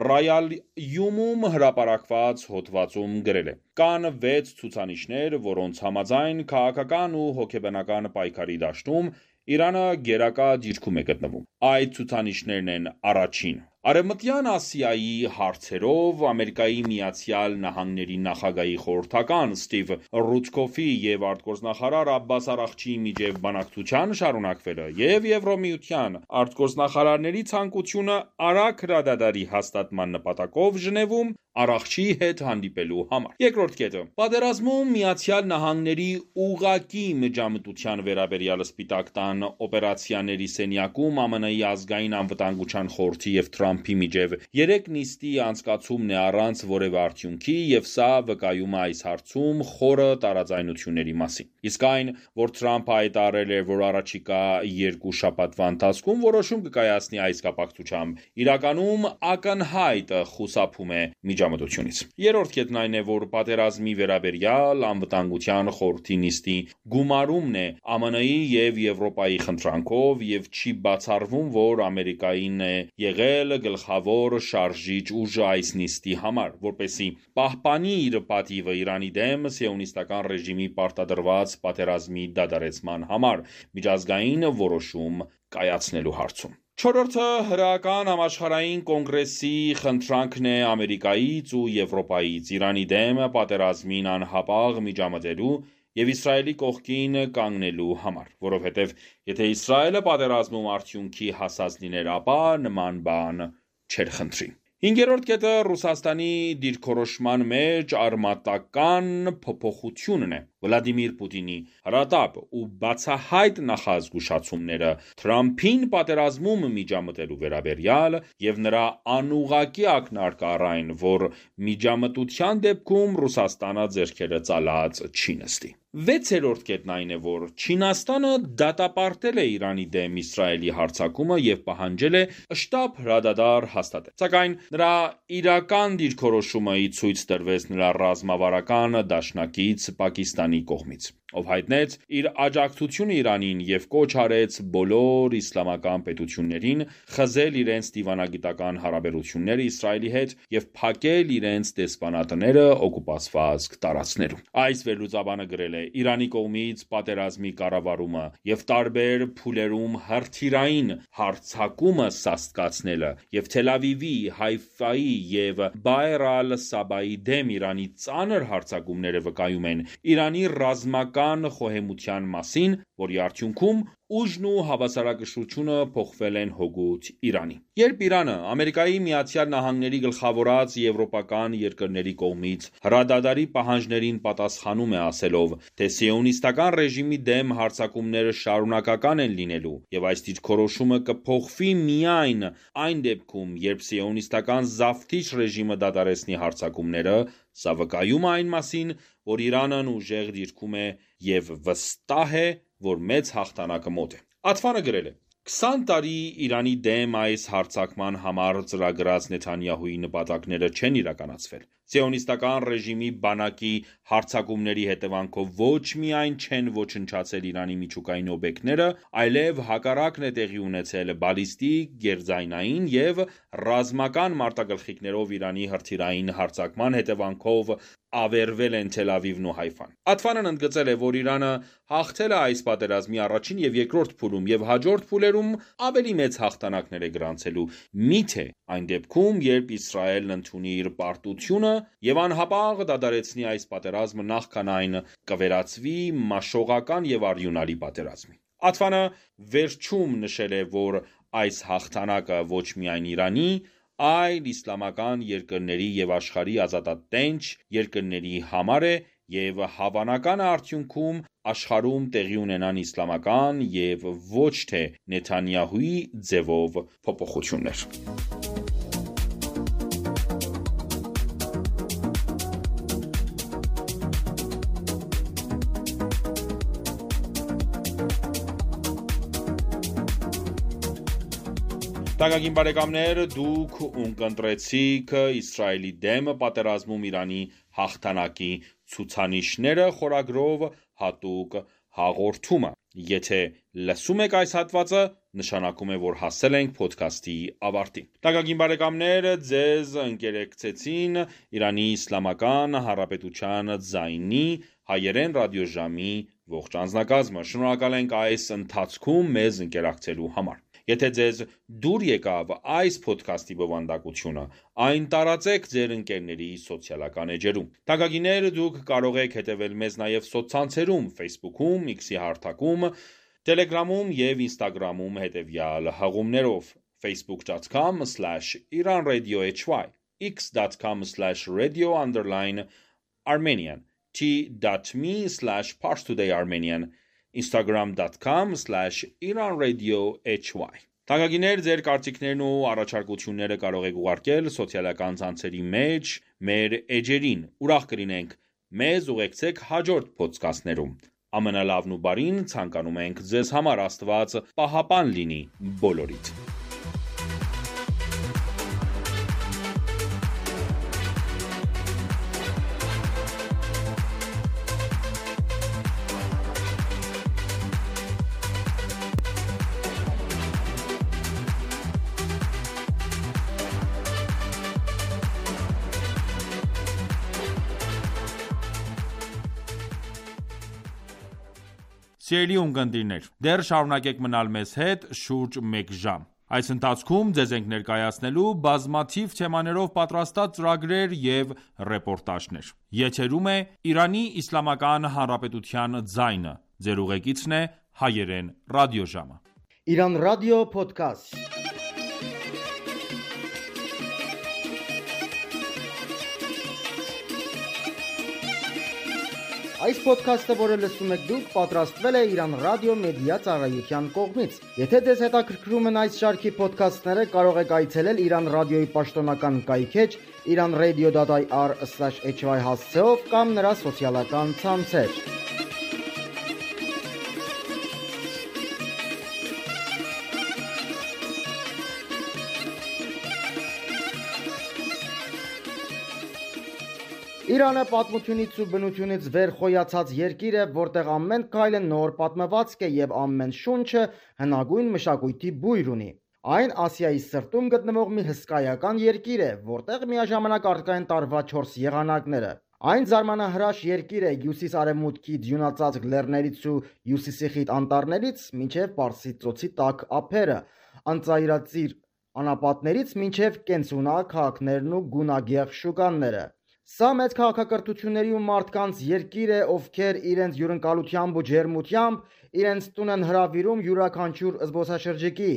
Speaker 1: Ռայալ-Յումում հրապարակված հոդվածում գրել է. Կան 6 ցուցանիշներ, որոնց համաձայն քաղաքական ու հոգեբանական պայքարի դաշտում Իրանը գերակա դիրքում է գտնվում։ Այդ ցուցանիշներն են. առաջին, Արևմտյան Ասիայի հարցերով Ամերիկայի Միացյալ Նահանգների նախագահի խորհրդական Ստիվ Ռուտկոֆի և արտգործնախարար Աբբաս Արաղչիի միջև բանակցության շարունակվելը և Եվրոմիության արտգործնախարարների ցանկությունը արագ հրադադարի հաստատման նպատակով Ժնևում Արաղչիի հետ հանդիպելու համար։ Երկրորդ կետը. Պատերազմում Միացյալ Նահանգների ուղղակի միջամտության վերաբերյալ Սպիտակ տան օպերացիաների սենյակում ԱՄՆ-ի ազգային անվտանգության խորհրդի և Թրամփի միջև 3 նիստի անցկացումն է առանց որևէ արդյունքի և սա վկայում է այս հարցում խորը տարաձայնությունների մասին։ Իսկ այն, որ Թրամփը հայտարարել է, որ առաջիկա 2 շաբաթվա ընթացքում որոշում կկայացնի այս կապակցությամբ, իրականում ակնհայտ խուսափում է միջամտությունից։ Երրորդ կետն այն է, որ պատերազմի վերաբերյալ անվտանգության խորհրդի նիստի գումարումն է ԱՄՆ-ի և Եվրոպայի խնդրանքով և չի բացառվում, որ Ամերիկային է եղել գլխավոր շարժիչ ուժը այս նիստի համար, որպեսզի պահպանի իր պատիվը Իրանի դեմ սիոնիստական ռեժիմի պարտադրված պատերազմի դադարեցման համար միջազգային որոշում կայացնելու հարցում։ Չորրորդը հրեական համաշխարհային կոնգրեսի խնդրանքն է Ամերիկայից ու Եվրոպայից Իրանի դեմ պատերազմին անհապաղ միջամտելու և Իսրայելի կողքին կանգնելու համար, որովհետև եթե Իսրայելը պատերազմում արդյունքի հասած լիներ, ապա նման բան չէր խնդրի։ Հինգերորդ կետը Ռուսաստանի դիրքորոշման մեջ արմատական փոփոխությունն է։ Վլադիմիր Պուտինի հրատապ ու բացահայտ նախազգուշացումները Թրամփին պատերազմում միջամտելու վերաբերյալ և նրա անուղղակի ակնարկը, որ միջամտության դեպքում Ռուսաստանը ձեռքերը ծալած չի նստի։ Վեցերորդ կետն այն է, որ Չինաստանը դատապարտել է Իրանի դեմ Իսրայելի հարձակումը և պահանջել է շտապ հրադադար հաստատել։ Սակայն նրա իրական դիրքորոշումը ի ցույց տրվեց նրա ռազմավարական դաշնակից Պակիստանի Իրանի կողմից, ով հայտնեց իր աջակցությունը Իրանին և կոչ արեց բոլոր իսլամական պետություններին խզել իրենց դիվանագիտական հարաբերությունները Իսրայելի հետ և փակել իրենց դեսպանատները օկուպացված տարածքներում։ Այս վերլուծաբանը գրել է. «Իրանի կողմից պատերազմի կառավարումը և տարբեր փուլերում հրթիռային հարձակումը սաստկացնելը և Թել Ավիվի, Հայֆայի և Բայր ալ-Սաբայի դեմ Իրանի ծանր հարձակումները վկայում են Իրանի ռազմական խոհեմության մասին, որի արդյունքում ուժն ու հավասարակշռությունը փոխվել են հօգուտ Իրանի»։ Երբ Իրանը ԱՄՆ-ի գլխավորած եվրոպական երկրների կողմից հրադադարի պահանջներին պատասխանում է ասելով, թե սիոնիստական ռեժիմի դեմ հարձակումները շարունակական են լինելու և այս դիրքորոշումը կփոխվի միայն այն դեպքում, երբ սիոնիստական զավթիչ ռեժիմը դադարեցնի հարձակումները, սա վկայում է այն մասին, որ Իրանն ուժեղ դիրքում է և վստահ է, որ մեծ հաղթանակը մոտ է։ Աթվանը գրել է. 20 տարի Իրանի դեմ այս հարձակման համար ծրագրած Նեթանյահուի նպատակները չեն իրականացվել։ Սիոնիստական ռեժիմի բանակի հարձակումների հետևանքով ոչ միայն չեն ոչնչացել Իրանի միջուկային օբյեկտները, այլև հակառակն է տեղի ունեցել բալիստիկ, գերձայնային և ռազմական մարտագլխիկներով Իրանի հրթիռային հարձակման հետևանքով ավերվել են Թել Ավիվն ու Հայֆան։ Աթվանն ընդգծել է, որ Իրանը հաղթել է այս պատերազմի առաջին և երկրորդ փուլում և հաջորդ փուլերում ավելի մեծ հաղթանակներ է գրանցելու, միթե այն դեպքում, երբ Իսրայելն ընդունի իր պարտությունը և անհապաղ դադարեցնի այս պատերազմը, նախքան այն կվերածվի մաշողական և արյունալի պատերազմի։ Աթվանը վերջում նշել է, որ այս հաղթանակը ոչ միայն Իրանի, այլ իսլամական երկրների և աշխարհի ազատատենչ երկրների համար է և հավանական է արդյունքում աշխարհում տեղի ունենան իսլամական և ոչ թե Նեթանյահուի ձևով փոփոխություններ։ Թանկագին բարեկամներ, դուք ունկնդրեցիք Իսրայելի դեմ պատերազմում Իրանի հաղթանակի ցուցանիշները խորագրով հատուկ հաղորդումը։ Եթե լսում եք այս հատվածը, նշանակում է, որ հասել ենք փոդքասթի ավարտին։ Թանկագին բարեկամներ, ձեզ ընկերակցեցին Իրանի Իսլամական Հանրապետության ձայնի հայերեն ռադիոժամի ողջ անձնակազմը։ Շնորհակալ ենք այս ընթացքում մեզ ընկերակցելու համար։ Եթե ձեզ դուր եկավ այս փոդքասթի բովանդակությունը, այն տարածեք ձեր ընկերների սոցիալական էջերում։ Թանկագիններ, դուք կարող եք հետևել մեզ նաև սոցցանցերում Facebook-ում, X-ի հարթակում, Telegram-ում և Instagram-ում հետևյալ հղումներով. facebook.com/iranradiohy, x.com/radio_Armenian, t.me/parstoodayarmenian, instagram.com/iranradiohy։ Թանկագիններ, ձեր կարծիքներն ու առաջարկությունները կարող եք ուղարկել սոցիալական ցանցերի մեջ մեր էջերին։ Ուրախ կլինենք մեզ ուղեկցեք հաջորդ փոդքասթներում։ Ամենալավն ու բարին ցանկանում ենք ձեզ համար։ Աստված պահապան լինի բոլորիդ։ Սիրելի ունկնդիրներ, դեռ շարունակեք մնալ մեզ հետ շուրջ մեկ ժամ։ Այս ընթացքում ձեզ ենք ներկայացնելու բազմաթիվ թեմաներով պատրաստած ծրագրեր և ռեպորտաժներ։ Եթերում է Իրանի Իսլամական Հանրապետության ձայնը։ Ձեր ուղեկիցն է հայերեն ռադիոժամը։
Speaker 5: Իրանական ռադիո փոդքասթ։ Այս ոդքասթը, որը լսում եք դուք, պատրաստվել է Իրան ռադիո մեդիա ծառայության կողմից։ Եթե ձեզ հետաքրքրում են այս շարքի ոդքասթները, կարող եք այցելել Իրան ռադիոյի պաշտոնական կայքէջ iranradio.ir/hy հասցեով կամ նրա սոցիալական ցանցեր։ Իրանը պատմությունից ու բնությունից վեր խոյացած երկիր է, որտեղ ամեն քայլը նոր պատմվածք է եւ ամեն շունչը հնագույն մշակույթի բույր ունի։ Այն Ասիայի սրտում գտնվող մի հսկայական երկիր է, որտեղ միաժամանակ առկա են տարվա 4 եղանակները։ Այն զարմանահրաշ երկիր է հյուսիս-արևմուտքի ձյունածածկ լեռներից ու հյուսիսի խիտ անտառներից մինչև Պարսից ծոցի տաք ափերը, անծայրածիր անապատներից մինչև կենցունակ քաղաքներն ու գունագեղ շուկաները։ Սա մեծ քաղաքակրթությունների ու մարդկանց երկիր է, ովքեր իրենց հյուրընկալությամբ ու ջերմությամբ իրենց տուն են հրավիրում յուրաքանչյուր զբոսաշրջիկի։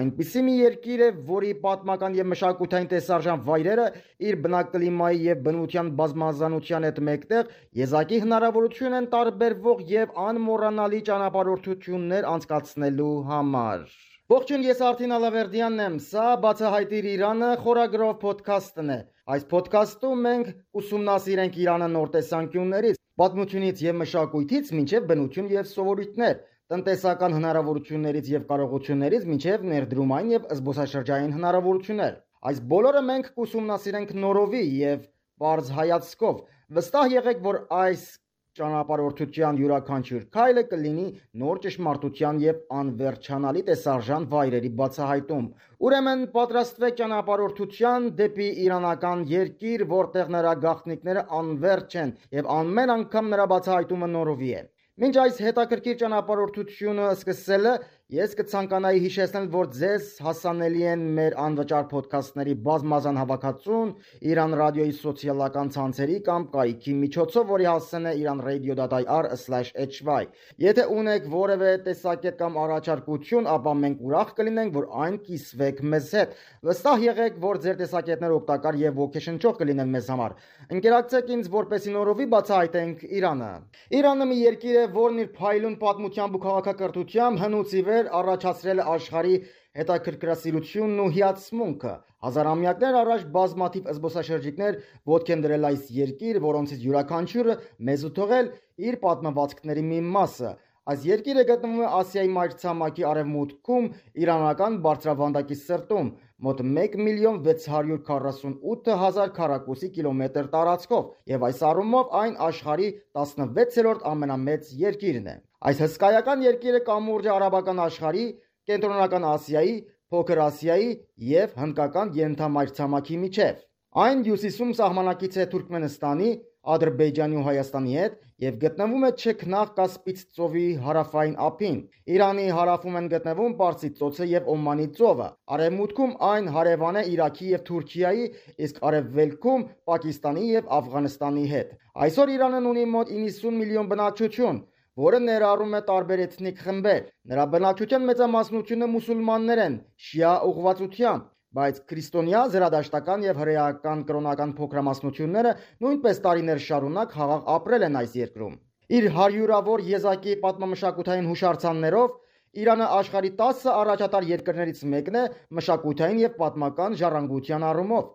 Speaker 5: Այնպիսի մի երկիր է, որի պատմական եւ մշակութային տեսարժան վայրերը իր բնակլիմայի եւ բնության բազմազանության հետ մեկտեղ եզակի հնարավորություն են տարբերվող եւ անմոռանալի ճանապարհորդություններ անցկացնելու համար։ Ողջույն, ես Արթին Ալավերդյանն եմ, սա Բացահայտիր Իրանը խորագրով փոդքասթն է։ Այս փոդքասթում մենք ուսումնասիրենք Իրանը նոր տեսանկյուններից, պատմությունից եւ մշակույթից մինչեւ բնություն եւ սովորույթներ, տնտեսական հնարավորություններից եւ կարողություններից մինչեւ ներդրումային եւ զբոսաշրջային հնարավորություններ։ Այս բոլորը մենք կուսումնասիրենք նորովի եւ բարձ հայացքով։ Վստահ եղեք, որ այս ճանապարհորդության յուրաքանչյուր քայլը կլինի նոր ճշմարտության եւ անվերջանալի տեսարժան վայրերի բացահայտում։ Ուրեմն պատրաստվեք ճանապարհորդության դեպի իրանական երկիր, որտեղ նրա գաղտնիքները անվերջ են եւ ամեն անգամ նրա բացահայտումը նորովի է։ Մինչ այս հետաքրքիր ճանապարհորդությունը սկսելը ես կցանկանայի հիշեցնել, որ ձեզ հասանելի են մեր անվճար փոդքասթների բազմազան հավաքածուն Iran Radio-ի սոցիալական ցանցերի կամ կայքի միջոցով, որի հասցեն է iranradio.ir/hy։ Եթե ունեք որևէ տեսակետ կամ առաջարկություն, ապա մենք ուրախ կլինենք, որ այն կիսվեք մեզ հետ։ Վստահ եղեք, որ ձեր տեսակետները օգտակար եւ ոգեշնչող կլինեն մեզ համար։ Ընկերակցեք ինձ, որպեսզի նորովի բացահայտենք Իրանը։ Իրանը մի երկիր է, որն իր փայլուն պատմությամբ ու քաղաքակրթությամբ հնուց ի վեր առաջացրել է աշխարհի հետաքրքրասիրությունն ու հիացմունքը։ Հազարամյակներ առաջ բազմաթիվ զբոսաշրջիկներ ոտք են դրել այս երկիր, որոնցից յուրաքանչյուրը մեզ ու թողել իր պատմվածքների մի մասը։ Այս երկիրը գտնվում է Ասիայի մայրցամաքի արևմուտքում, իրանական բարձրավանդակի սրտում, մոտ 1,648,000 քառակուսի կիլոմետր տարածքով, եւ այս առումով այն աշխարհի 16-րդ ամենամեծ երկիրն է։ Այս հսկայական երկիրը կամուրջ է արաբական աշխարհի, կենտրոնական Ասիայի, Փոքր Ասիայի եւ հնդկական ենթամայրցամաքի միջև։ Այն հյուսիսում սահմանակից է Թուրքմենստանի, Ադրբեջանի ու Հայաստանի հետ եւ գտնվում է Չեքնաղ Կասպից ծովի հարավային ափին։ Իրանի հարավում են գտնվում Պարսից ծոցը եւ Օմանի ծովը։ Արևմուտքում այն հարևան է Իրաքի եւ Թուրքիայի, իսկ արևելքում Պակիստանի եւ Աֆղանստանի հետ։ Այսօր Իրանն ունի մոտ 90 միլիոն բնակչություն, որը ներառում է տարբեր էթնիկ խմբեր։ Նրա բնակչության մեծամասնությունը մուսուլմաններ են, շիա ուղղվածությամբ, բայց քրիստոնյա, զրադաշտական եւ հրեական կրոնական փոքրամասնությունները նույնպես տարիներ շարունակ խաղաղ ապրել են այս երկրում։ Իր հարյուրավոր եզակի պատմամշակութային հուշարձաններով Իրանը աշխարհի 10 առաջատար երկրներից մեկն է մշակութային եւ պատմական ժառանգության առումով։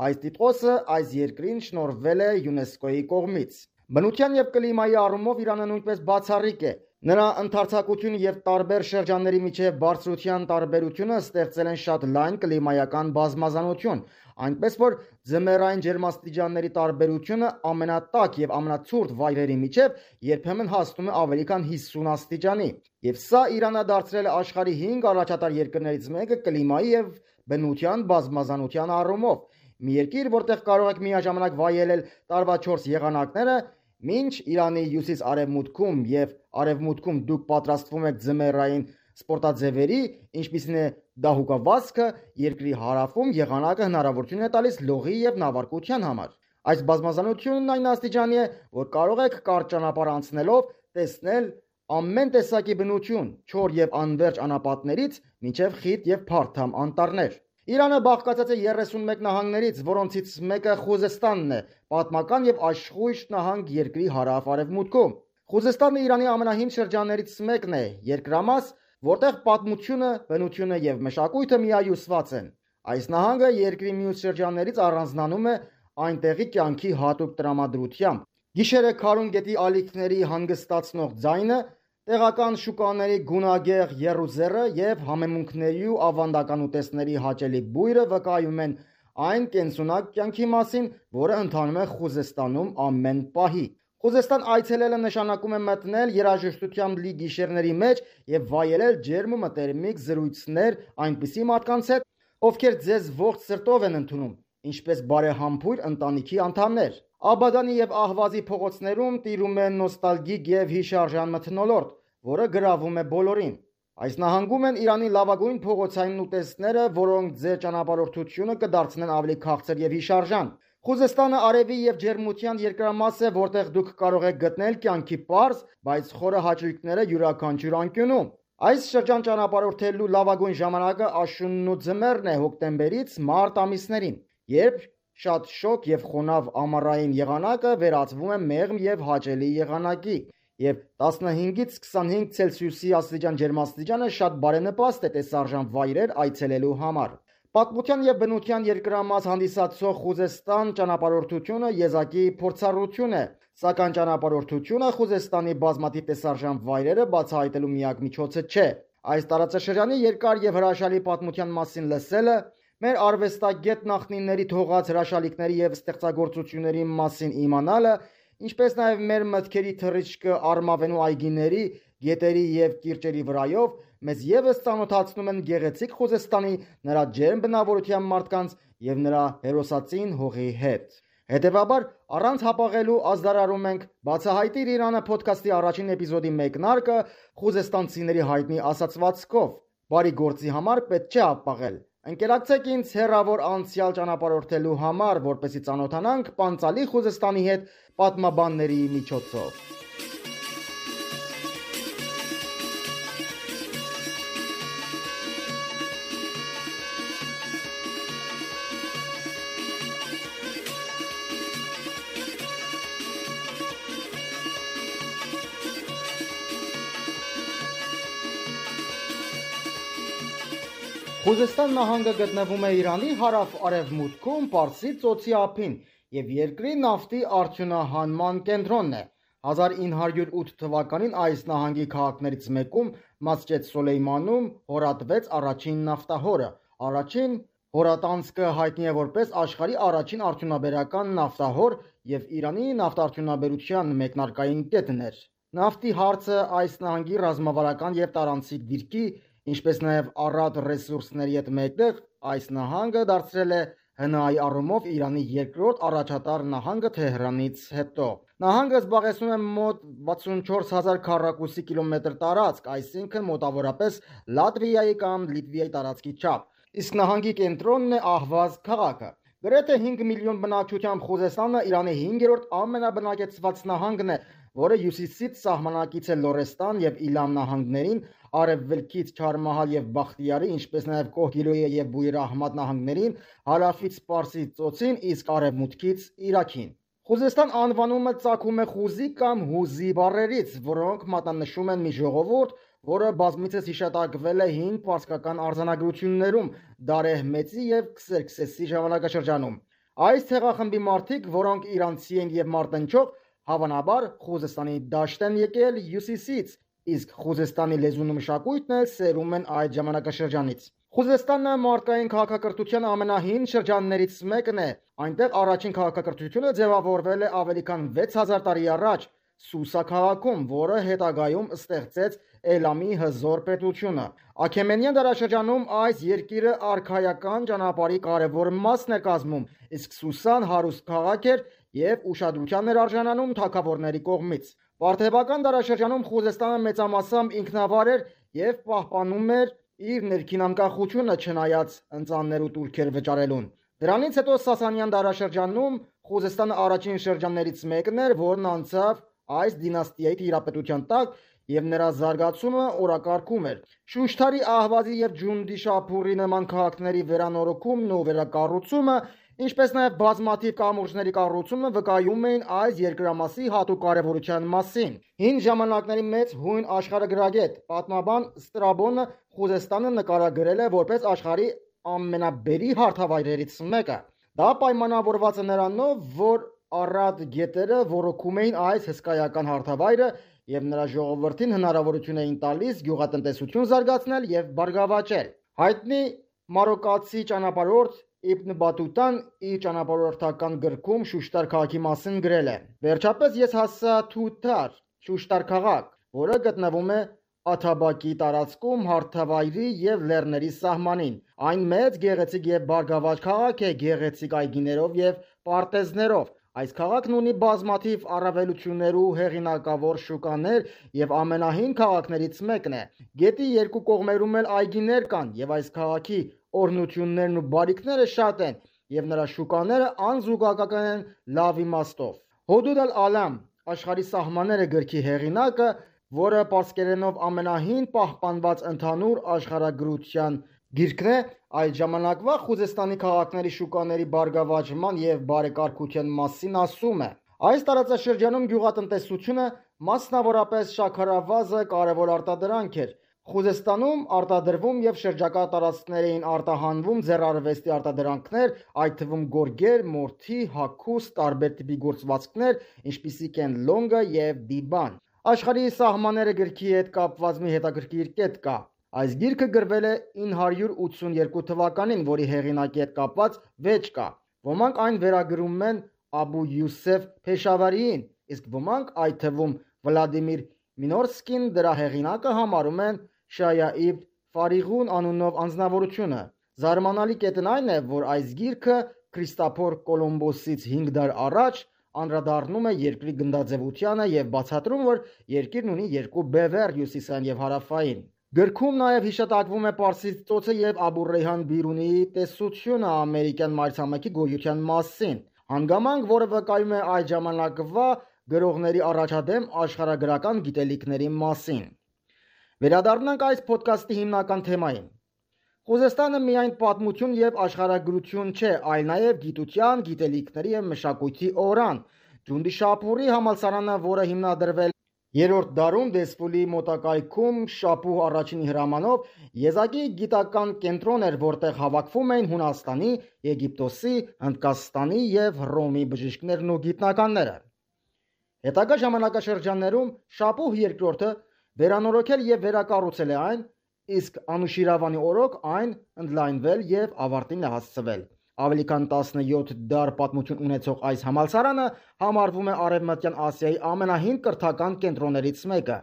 Speaker 5: Այս տիտղոսը այս երկրին շնորհվել է ՅՈՒՆԵՍԿՕ-ի կողմից։ Բնության եւ կլիմայի առումով Իրանը նույնպես բացառիկ է։ Նրա ընդարձակություն եւ տարբեր շրջանների միջև բարձրության տարբերությունը ստեղծել են շատ լայն կլիմայական բազմազանություն, այնպես որ ձմեռային ջերմաստիճանների տարբերությունը ամենատաք եւ ամենացուրտ վայրերի միջև երբեմն հասնում է ավելի քան 50 աստիճանի։ Եվ սա Իրանը դարձրել է աշխարհի 5 առաջատար երկրներից մեկը կլիմայի եւ բնության բազմազանության առումով։ Մի երկիր, որտեղ կարող եք միաժամանակ վայելել տարվա 4 եղանակները, մինչ Իրանի հյուսիս-արևմուտքում եւ արևմուտքում դուք պատրաստվում եք ձմեռային սպորտաձևերի, ինչպիսին է դահուկավազքը, երկրի հարավում եղանակը հնարավորություն է տալիս լողի եւ նավարկության համար։ Այս բազմազանությունն այն աստիճանի է, որ կարող եք կարճ ճանապարհ անցնելով տեսնել ամեն տեսակի բնություն, չոր եւ անվերջ անապատներից մինչեւ խիտ եւ փարթամ անտառներ։ Իրանը բաղկացած է 31 նահանգներից, որոնցից մեկը Խուզեստանն է, պատմական եւ աշխույժ նահանգ երկրի հարավ-արևմուտքում։ Խուզեստանը Իրանի ամենահին շրջաններից մեկն է, երկրամաս, որտեղ պատմությունը, բնությունը եւ մշակույթը միահյուսված են։ Այս նահանգը երկրի մյուս շրջաններից առանձնանում է այնտեղի կյանքի հատուկ տրամադրությամբ։ Գիշերը քարուն գետի ալիքների հանգստացնող ձայնը, տեղական շուկաների գունագեղ եռուզեռը եւ համեմունքների ու ավանդական ուտեստների հաճելի բույրը վկայում են այն կենսունակ կյանքի մասին, որը ընթանում է Խուզեստանում ամեն պահի։ Խուզեստան այցելելը նշանակում է մտնել երաժշտությամբ լի գիշերների մեջ եւ վայելել ջերմ ու մտերմիկ զրույցներ այնպիսի մարդկանց հետ, ովքեր ձեզ ողջ սրտով են ընդունում, ինչպես բարեհամբույր ընտանիքի անդամներ։ Աբադանի եւ Ահվազի փողոցներում տիրում է նոստալգիկ եւ հիշարժան մթնոլորտ, որը գրավում է բոլորին։ Այս նահանգում են Իրանի լավագույն փողոցային ուտեստները, որոնք ձեր ճանապարհորդությունը կդարձնեն ավելի քաղցր եւ հիշարժան։ Խուզեստանը արևի եւ ջերմության երկրամաս է, որտեղ դուք կարող եք գտնել կյանքի պարզ, բայց խորը հաճույքները յուրաքանչյուր անկյունում։ Այս շրջան ճանապարհորդելու լավագույն ժամանակը աշունն ու ձմեռն է հոկտեմբերից մարտ ամիսներին, երբ շատ շոգ եւ խոնավ ամառային եղանակը վերածվում է մեղմ եւ հաճելի եղանակի, եւ 15-ից 25 Ցելսիուսի աստիճան ջերմաստիճանը շատ բարենպաստ է տեսարժան վայրեր այցելելու համար։ Պատմության եւ բնության երկրամաս հանդիսացող Խուզեստան ճանապարհորդությունը եզակի փորձառություն է, սակայն ճանապարհորդությունը Խուզեստանի բազմաթիվ տեսարժան վայրերը բացահայտելու միակ միջոցը չէ։ Այս տարածաշրջանի երկար եւ հրաշալի պատմության մասին լսելը, մեր արվեստագետ նախնիների թողած հրաշալիքների եւ ստեղծագործությունների մասին իմանալը, ինչպես նաեւ մեր մտքերի թռիչքը արմավենու այգիների, գետերի եւ կիրճերի վրայով մեզ եւս ծանոթացնում են գեղեցիկ Խուզեստանի, նրա ջերմ բնավորության մարդկանց եւ նրա հերոսացին հողի հետ։ Հետևաբար, առանց հապաղելու ազդարարում ենք Բացահայտիր Իրանը փոդքասթի առաջին էպիզոդի մեկնարկը խուզեստանցիների հայտնի ասացվածքով։ Բարի գործի համար պետք չէ հապաղել։ Ընկերակցեք ինձ հեռավոր անցյալ ճանապարհորդելու համար, որպեսզի ծանոթանանք Պանծալի Խուզեստանի հետ պատմաբանների միջոցով։ Խուզեստան նահանգը գտնվում է Իրանի հարավ-արևմուտքում Պարսից ծոցի ափին եւ երկրի նավթի արդյունահանման կենտրոնն է։ 1908 թվականին այս նահանգի քաղաքներից մեկում Մասջեդ Սոլեյմանում հորատվեց առաջին նավթահորը։ Առաջին հորատանցքը հայտնի է որպես աշխարհի առաջին արդյունաբերական նավթահոր եւ Իրանի նավթարդյունաբերության մեկնարկային կետն էր։ Նավթի հարցը այս նահանգի ռազմավարական եւ տարանցիկ դիրքի, ինչպես նաև առատ ռեսուրսների հետ մեկտեղ այս նահանգը դարձրել է ՀՆԱ-ի առումով Իրանի երկրորդ առաջատար նահանգը Թեհրանից հետո։ Նահանգը զբաղեցնում է մոտ 64000 քառակուսի կիլոմետր տարածք, այսինքն մոտավորապես Լատվիայի կամ Լիտվայի տարածքի չափ։ Իսկ նահանգի կենտրոնն է Ահվազ քաղաքը։ Գրեթե 5 միլիոն բնակչությամբ Խուզեստանը Իրանի 5-րդ ամենաբնակեցված նահանգն է, որը հյուսիսից սահմանակից է Լորեստան եւ Իլամ նահանգներին, արևելքից Չարմահալ եւ Բախտիարի, ինչպես նաեւ Կոհգիլոյե եւ Բույր Ահմադ նահանգներին, հարավից Պարսից ծոցին, իսկ արևմուտքից Իրաքին։ Խուզեստան անվանումը ծագում է խուզի կամ հուզի բառերից, որոնք մատնանշում են մի ժողովուրդ, որը բազմիցս հիշատակվել է հին պարսկական արձանագրություններում Դարեհ Մեծի եւ Քսերքսեսի ժամանակաշրջանում։ Այս ցեղախմբի մարդիկ, որոնք իրանցի են եւ մարտնչող, հավանաբար Խուզեստանի դաշտ են եկել հյուսիսից, իսկ Խուզեստանի լեզուն ու մշակույթն էլ սերում են այդ ժամանակաշրջանից։ Խուզեստանը մարդկային քաղաքակրթության ամենահին շրջաններից մեկն է։ Այնտեղ առաջին քաղաքակրթությունը ձևավորվել է ավելի քան 6000 տարի առաջ Սուսա քաղաքում, որը հետագայում ստեղծեց Էլամի հզոր պետությունը։ Աքեմենյան դարաշրջանում այս երկիրը արքայական ճանապարհի կարևոր մասն է կազմում, իսկ Սուսան հարուստ քաղաք էր եւ ուշադրության էր արժանանում թագավորների կողմից։ Պարթևական դարաշրջանում Խուզեստանը մեծամասամբ ինքնավար էր եւ պահպանում էր իր ներքին անկախությունը չնայած ընծաններ ու տուրքեր վճարելուն։ Դրանից հետո Սասանյան դարաշրջանում Խուզեստանը առաջին շրջաններից մեկն էր, որն անցավ այս դինաստիայի տիրապետության տակ եւ նրա զարգացումը օրակարգում էր։ Շուշթարի, Ահվազի եւ Ջունդի Շապուրի նման քաղաքների վերանորոգումն ու վերակառուցումը, ինչպես նաեւ բազմաթիվ կամուրջների կառուցումը վկայում էին այս երկրամասի հատուկ կարևորության մասին։ Հին ժամանակների մեծ հույն աշխարհագրագետ պատմաբան Ստրաբոնը Խուզեստանը նկարագրել է որպես աշխարհի ամենաբերի հարթավայրերից մեկը։ Դա պայմանավորված է նրանով, որ առատ գետերը ոռոգում էին այս հսկայական հարթավայրը եւ նրա ժողովրդին հնարավորություն էին տալիս գյուղատնտեսություն զարգացնել եւ բարգավաճել։ Հայտնի մարոկացի ճանապարհորդ Իբն Բատուտան իր ճանապարհորդական գրքում Շուշտար քաղաքի մասին գրել է. «Վերջապես ես հասա Թութար, Շուշտար քաղաք, որը գտնվում է Աթաբակի տարածքում հարթավայրի եւ լեռների սահմանին։ Այն մեծ, գեղեցիկ եւ բարգավաճ քաղաք է գեղեցիկ այգիներով եւ պարտեզներով։ Այս քաղաքն ունի բազմաթիվ առավելություններ ու հեղինակավոր շուկաներ եւ ամենահին քաղաքներից մեկն է։ Գետի երկու կողմերում էլ այգիներ կան եւ այս քաղաքի օրհնություններն ու բարիքները շատ են եւ նրա շուկաները անզուգական են լավ իմաստով»։ Հոդուդ ալ-Ալամ աշխարհի սահմանները գրքի հեղինակը, որը պարսկերենով ամենահին պահպանված ընդհանուր աշխարհագրության գիրքն է, այդ ժամանակվա Խուզեստանի քաղաքների շուկաների բարգավաճման եւ բարեկարգության մասին ասում է. «Այս տարածաշրջանում գյուղատնտեսությունը, մասնավորապես շաքարավազը, կարևոր արտադրանք էր։ Խուզեստանում արտադրվում եւ շրջակա տարածքներին արտահանվում ձեռարվեստի արտադրանքներ, այդ թվում գորգեր, մորթի, հագուստ, տարբեր տիպի գործվածքներ, ինչպիսիք են լոնգը եւ դիբան։ Աշխարհի սահմանները գրքի հետ կապված մի հետաքրքիր կետ կա։ Այս գիրքը գրվել է 982 թվականին, որի հեղինակի հետ կապված վեճ կա։ Ոմանք այն վերագրում են Աբու Յուսեֆ Փեշավարիին, իսկ ոմանք, այդ թվում Վլադիմիր Մինորսկին, դրա հեղինակը համարում են Շայա իբն Ֆարիղուն անունով անձնավորությունը։ Զարմանալի կետն այն է, որ այս գիրքը Քրիստոփոր Կոլումբոսից 5 դար առաջ անդրադառնում է երկրի գնդաձևությանը եւ բացատրում, որ երկիրն ունի երկու բևեռ՝ հյուսիսային եւ հարավային։ Գրքում նաեւ հիշատակվում է Պարսից ծոցը եւ Աբու Ռեյհան Բիրունիի տեսությունը ամերիկյան մայրցամաքի գոյության մասին, հանգամանք, որը վկայում է այդ ժամանակվա գրողների առաջադեմ աշխարհագրական գիտելիքների մասին։ Վերադառնանք այս ոդկասթի հիմնական թեմային։ Խուզեստանը միայն պատմություն եւ աշխարհագրություն չէ, այլ նաեւ գիտության, գիտելիքների եւ մշակույթի օրան։ Ջունդիշապուրի համալսարանը, որը հիմնադրվել 3-րդ դարում Դեսֆուլի մոտակայքում Շապուհ առաջինի հրամանով, եզակի գիտական կենտրոն էր, որտեղ հավաքվում էին Հունաստանի, Եգիպտոսի, Հնդկաստանի եւ Հռոմի բժիշկներն ու գիտնականները։ Հետագա ժամանակաշրջաններում Շապուհ II-ը վերանորոգել եւ վերակառուցել է այն, իսկ Անուշիրավանի օրոք այն ընդլայնվել եւ ավարտին է հասցվել։ Ավելի քան 17 դար պատմություն ունեցող այս համալսարանը համարվում է Արևմտյան Ասիայի ամենահին կրթական կենտրոններից մեկը։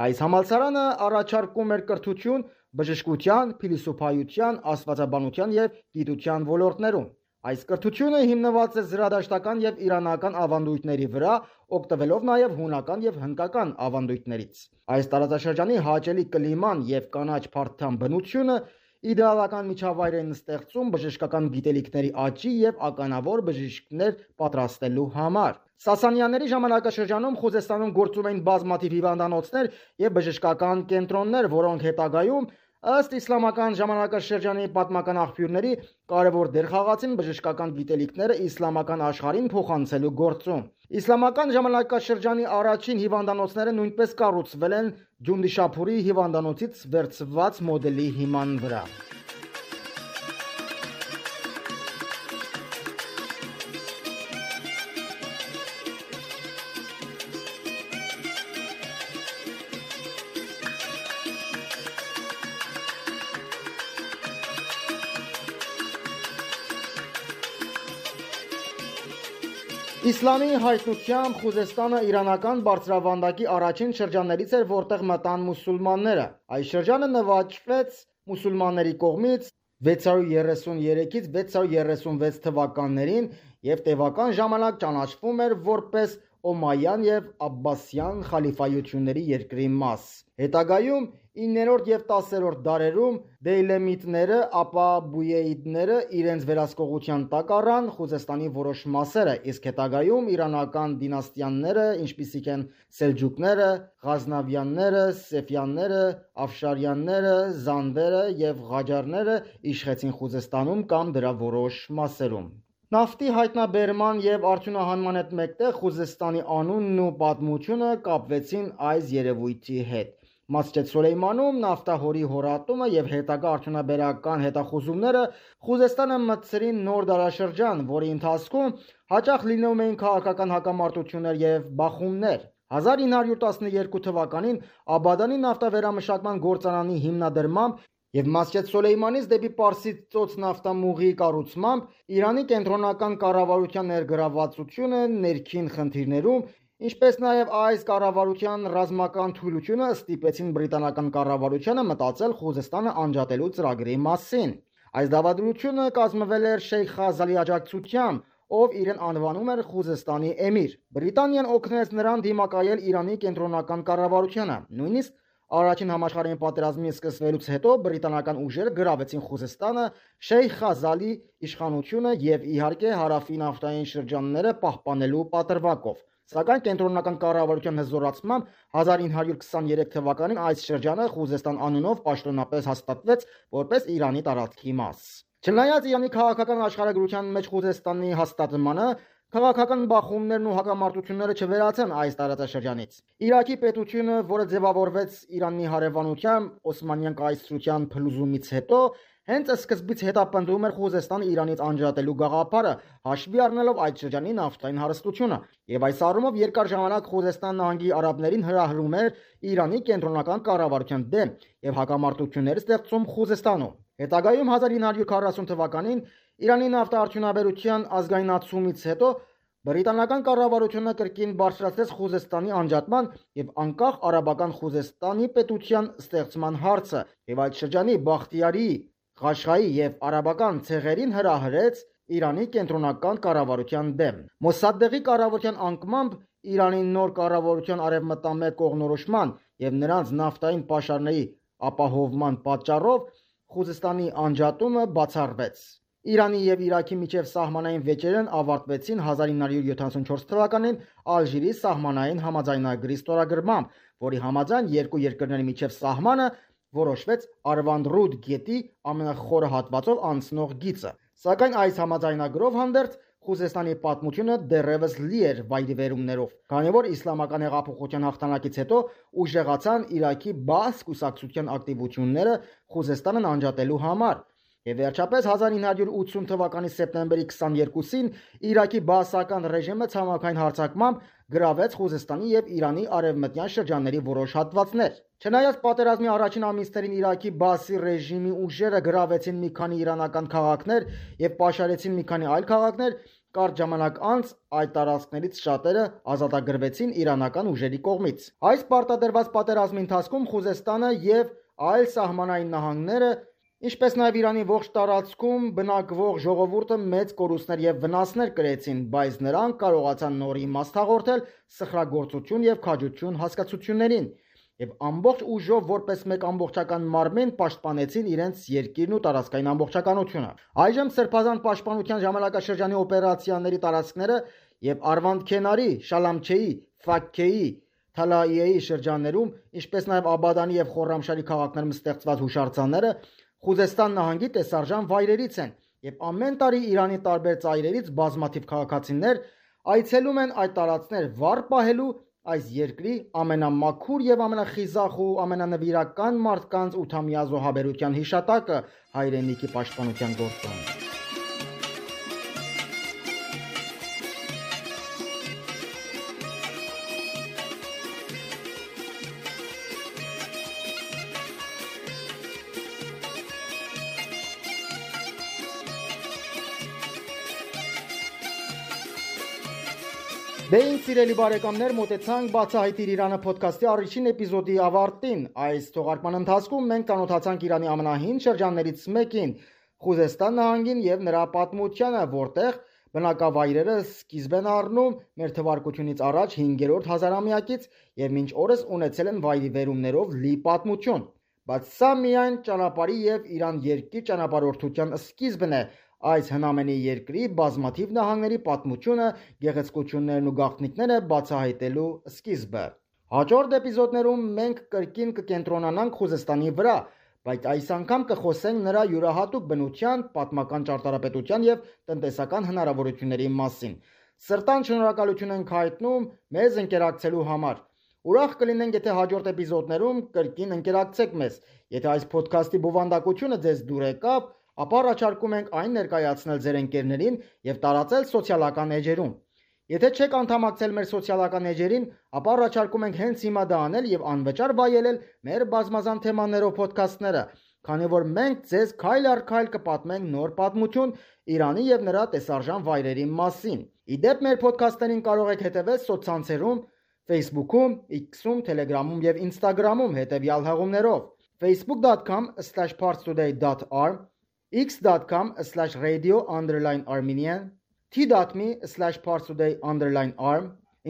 Speaker 5: Այս համալսարանը առաջարկում էր կրթություն բժշկության, փիլիսոփայության, աստվածաբանության եւ գիտության ոլորտներում։ Այս կրթությունը հիմնված է զրադաշտական եւ իրանական ավանդույթների վրա, օգտվելով նաեւ հունական եւ հնդկական ավանդույթներից։ Այս տարածաշրջանի հաճելի կլիման եւ կանաչ փարթամ բնությունը իդեալական միջավայր են ստեղծում բժշկական գիտելիքների աճի եւ ականավոր բժիշկներ պատրաստելու համար։ Սասանյանների ժամանակաշրջանում Խուզեստանում գործում էին բազմաթիվ հիվանդանոցներ եւ բժշկական կենտրոններ, որոնք հետագայում ըստ իսլամական ժամանակաշրջանի պատմական աղբյուրների կարևոր դեր խաղացին բժշկական գիտելիքները իսլամական աշխարհին փոխանցելու գործում։ Իսլամական ժամանակաշրջանի առաջին հիվանդանոցները նույնպես կառուցվել են Ջունդիշապուրի հիվանդանոցից վերցված մոդելի հիման վրա։ Իսլամի հայտնությամբ Խուզեստանը իրանական բարձրավանդակի առաջին շրջաններից էր, որտեղ մտան մուսուլմանները։ Այս շրջանը նվաճվեց մուսուլմանների կողմից 633-ից 636 թվականներին եւ տևական ժամանակ ճանաչվում էր որպես Օմայյան եւ Աբբասյան խալիֆայությունների երկրի մաս։ Հետագայում 9-րդ եւ 10-րդ դարերում Դեյլեմիտները, ապա Բույեիդները իրենց վերահսկողության տակ առան Խուզեստանի որոշ մասերը, իսկ հետագայում իրանական դինաստիաները, ինչպիսիք են Սելջուկները, Ղազնավյանները, Սեֆյանները, Աֆշարյանները, Զանդերը եւ Ղաջարները իշխեցին Խուզեստանում կամ դրա որոշ մասերում։ Նավթի հայտնաբերման եւ արդյունահանման հետ մեկտեղ Խուզեստանի անունն ու պատմությունը կապվեցին այս երևույթի հետ։ Մասջեդ Սոլեյմանում նավթահորի հորատումը եւ հետագա արդյունաբերական հետախուզումները Խուզեստանը մտցրին նոր դարաշրջան, որի ընթացքում հաճախ լինում էին քաղաքական հակամարտություններ եւ բախումներ։ 1912 թվականին Աբադանի նավթավերամշակման գործարանի հիմնադրմամբ Եվ Մասջեդ Սոլեյմանից դեպի Պարսից ծոց նավթամուղի կառուցմամբ Իրանի կենտրոնական կառավարության ներգրավվածությունը ներքին խնդիրներում, ինչպես նաև այս կառավարության ռազմական թույլությունը ստիպեցին բրիտանական կառավարությանը մտածել Խուզեստանը անջատելու ծրագրի մասին։ Այս դավադրությունը կազմվել էր Շեյխ Խազալի աջակցությամբ, ով իրեն անվանում էր Խուզեստանի էմիր։ Բրիտանիան օգնեց նրան դիմակայել Իրանի կենտրոնական կառավարությանը։ Նույնիսկ Առաջին համաշխարհային պատերազմի սկսվելուց հետո բրիտանական ուժերը գրավեցին Խուզեստանը, Շեյխ Խազալի իշխանությունը եւ իհարկե հարավի նավթային շրջանները պահպանելու պատրվակով։ Սակայն կենտրոնական կառավարության հզորացմամբ 1923 թվականին այս շրջանը Խուզեստան անունով պաշտոնապես հաստատվեց որպես Իրանի տարածքի մաս։ Չնայած Իրանի քաղաքական աշխարհագրության մեջ Խուզեստանի հաստատմանը, քաղաքական բախումներն ու հակամարտությունները չվերացան այս տարածաշրջանից։ Իրաքի պետությունը, որը ձևավորվեց Իրանի հարևանությամբ Օսմանյան կայսրության փլուզումից հետո, հենց սկզբից հետապնդում էր Խուզեստանը Իրանից անջատելու գաղափարը, հաշվի առնելով այդ շրջանի նավթային հարստությունը, եւ այս առումով երկար ժամանակ Խուզեստան նահանգի արաբներին հրահրում էր Իրանի կենտրոնական կառավարության դեմ եւ հակամարտություններ ստեղծում Խուզեստանում։ Հետագայում 1940 թվականին Իրանի նավթարդյունաբերության ազգայնացումից հետո բրիտանական կառավարությունը կրկին բարձրացրեց Խուզեստանի անջատման եւ անկախ արաբական Խուզեստանի պետության ստեղծման հարցը եւ այդ շրջանի Բախտիարի, Ղաշղայի եւ արաբական ցեղերին հրահրեց Իրանի կենտրոնական կառավարության դեմ։ Մոսադեղի կառավարության անկմամբ Իրանի նոր կառավարության արևմտամետ կողմնորոշման եւ նրանց նավթային պաշարների ապահովման պատճառով Խուզեստանի անջատումը բացառվեց։ Իրանի եւ Իրաքի միջև սահմանային վեճերն ավարտվեցին 1974 թվականին Ալժիրի սահմանային համաձայնագրի ստորագրմամբ, որի համաձայն երկու երկրների միջև սահմանը որոշվեց Արվանդռուդ գետի ամենախորը հատվածով անցնող գիծը։ Սակայն այս համաձայնագրով հանդերձ Խուզեստանի պատմությունը դեռևս լի էր վայրիվերումներով, քանի որ իսլամական հեղափոխության հաղթանակից հետո ուժեղացան Իրաքի բաաս կուսակցության ակտիվությունները Խուզեստանն անջատելու համար։ Եվ վերջապես 1980 թվականի սեպտեմբերի 22-ին Իրաքի բաասական ռեժիմը ցամաքային հարձակմամբ գրավեց Խուզեստանի եւ Իրանի արևմտյան շրջանների որոշ հատվածներ։ Չնայած պատերազմի առաջին ամիսներին Իրաքի բաասի ռեժիմի ուժերը գրավեցին մի քանի իրանական քաղաքներ եւ պաշարեցին մի քանի այլ քաղաքներ, կարճ ժամանակ անց այդ տարածքներից շատերը ազատագրվեցին իրանական ուժերի կողմից։ Այս պարտադրված պատերազմի ընթացքում Խուզեստանը եւ այլ սահմանային նահանգները, ինչպես նաև Իրանի ողջ տարածքում բնակվող ժողովուրդը մեծ կորուստներ եւ վնասներ կրեցին, բայց նրանք կարողացան նոր իմաստ հաղորդել սխրագործություն եւ քաջություն հասկացություններին եւ ամբողջ ուժով որպես մեկ ամբողջական մարմին պաշտպանեցին իրենց երկիրն ու տարածքային ամբողջականությունը։ Այժմ Սրբազան պաշտպանության ժամանակաշրջանի օպերացիաների տարածքները եւ Արվանդքենարի, Շալամչեի, Ֆաքքեի, Թալաիեի շրջաններում, ինչպես նաև Աբադանի եւ Խորրամշահրի քաղաքներում ստեղծված հուշարձանները Խուզեստան նահանգի տեսարժան վայրերից են եւ ամեն տարի Իրանի տարբեր ծայրերից բազմաթիվ քաղաքացիներ այցելում են այդ տարածքներ վառ պահելու այս երկրի ամենամաքուր եւ ամենախիզախ ու ամենանվիրական մարդկանց 8-ամյա զոհաբերության հիշատակը հայրենիքի պաշտպանության գործում։ Բեին սիրելի բարեկամներ, մոտեցանք Բացահայտիր Իրանը ոդքասթի առաջին էպիզոդի ավարտին։ Այս թողարկման ընթացքում մենք ծանոթացանք Իրանի ամենահին շրջաններից մեկին՝ Խուզեստան նահանգին եւ նրա պատմությանը, որտեղ բնակավայրերը սկիզբ են առնում մեր թվարկությունից առաջ 5-րդ հազարամյակից եւ մինչ օրս ունեցել են վայրիվերումներով լի պատմություն։ Բայց սա միայն ճանապարհի եւ Իրան երկիր ճանապարհորդության սկիզբն է։ Այս հնամենի երկրի բազմաթիվ նահանգների պատմությունը, գեղեցկություններն ու գաղտնիքները բացահայտելու սկիզբը։ Հաջորդ էպիզոդներում մենք կրկին կկենտրոնանանք Խուզեստանի վրա, բայց այս անգամ կխոսենք նրա յուրահատուկ բնության, պատմական ճարտարապետության եւ տնտեսական հնարավորությունների մասին։ Սրտան շնորհակալություն ենք հայտնում մեզ ընկերակցելու համար։ Ուրախ կլինենք, եթե հաջորդ էպիզոդներում կրկին ընկերակցեք մեզ։ Եթե այս ոդքասթի բովանդակությունը ձեզ դուր եկավ, ապա առաջարկում ենք այն ներկայացնել ձեր ընկերներին եւ տարածել սոցիալական էջերում։ Եթե չեք անդամակցել մեր սոցիալական էջերին, ապա առաջարկում ենք հենց հիմա դա անել եւ անվճար վայելել մեր բազմազան թեմաներով ոդքասթները։ քանի որ մենք ձեզ քայլ առ քայլ կպատմենք նոր պատմություն Իրանի եւ նրա տեսարժան վայրերի մասին։ Իդեպ մեր ոդքասթերին կարող եք հետևել սոցցանցերում, Facebook-ում, X-ում, Telegram-ում եւ Instagram-ում հետեւյալ հղումներով. facebook.com/parstoday.arm, x.com/radio_armenian, t.me/parstoday_arm,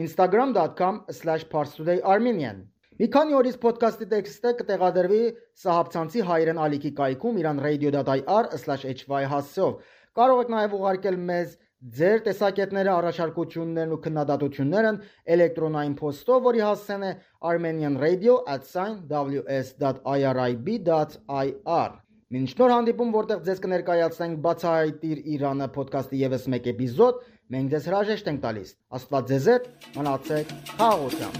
Speaker 5: instagram.com/parstodayarmenian։ Մի քանի օրից ոդքասթի տեքստը կտեղադրվի Սահաբցանցի հայերեն ալիքի կայքում iranradio.ir/hy հասցեով։ Կարող եք նաև ուղարկել մեզ ձեր տեսակետները, առաջարկություններն ու քննադատություններն էլեկտրոնային փոստով, որի հասցեն է armenianradio@ws.irib.ir։ Մինչ նոր հանդիպում, որտեղ ձեզ կներկայացնենք Բացահայտիր Իրանը ոդքասթի ևս մեկ էպիզոդ, մենք ձեզ հրաժեշտ ենք տալիս։ Աստված ձեզ հետ, մնացեք խաղաղությամբ։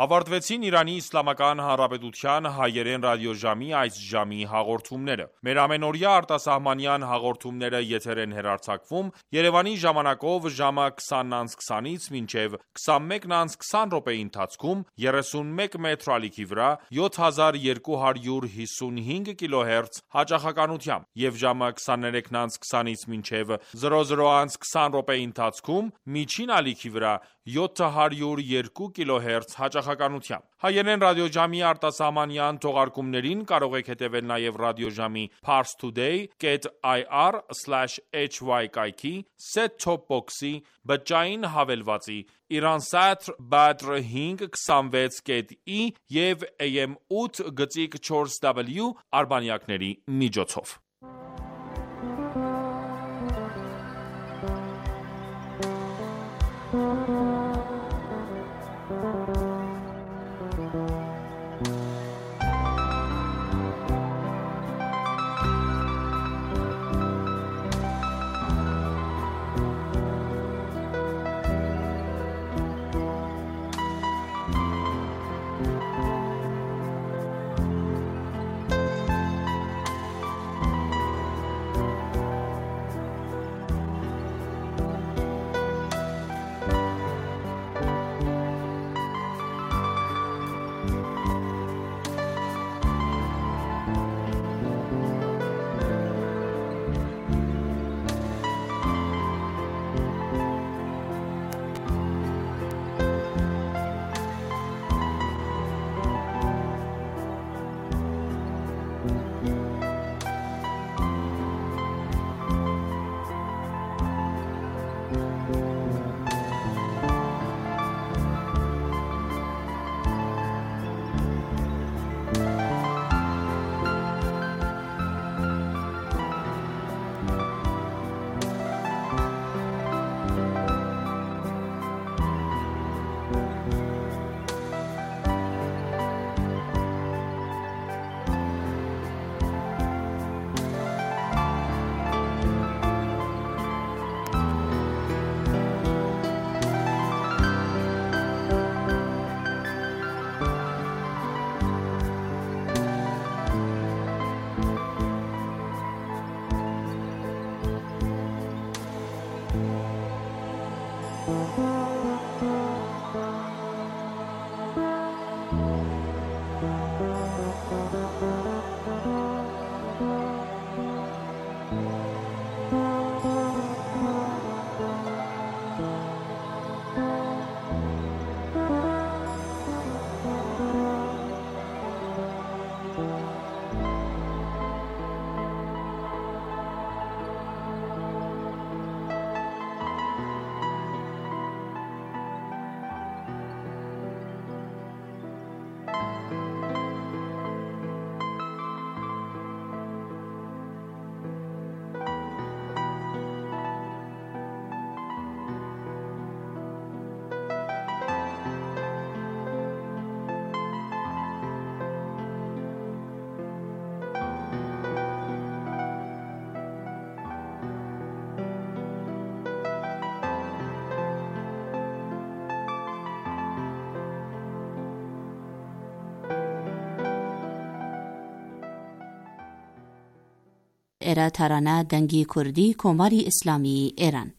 Speaker 1: Ավարտվեցին Իրանի Իսլամական Հանրապետության հայերեն ռադիոժամի այս ժամի հաղորդումները։ Մեր ամենօրյա արտասահմանյան հաղորդումները եթեր են հեռարձակվում Երևանի ժամանակով ժամը 20:20-ից մինչև 21:20 րոպեի ընթացքում 31 մետր ալիքի վրա 7255 կիլոհերց հաճախականությամբ եւ ժամը 23:20-ից մինչև 00:20 րոպեի ընթացքում միջին ալիքի վրա 702 կիլոհերց հաճախականությամբ։ Հայերեն ռադիոժամի արտասահմանյան թողարկումներին կարող եք հետևել նաև ռադիոժամի parstoday.ir/hy կայքի, set-top box-ի, բջջային հավելվածի, Iransat Badr 526.i եւ AM 8.4W արբանյակների միջոցով։
Speaker 6: էրա թարանա դանգի քուրդի կոմարի իսլամի էրան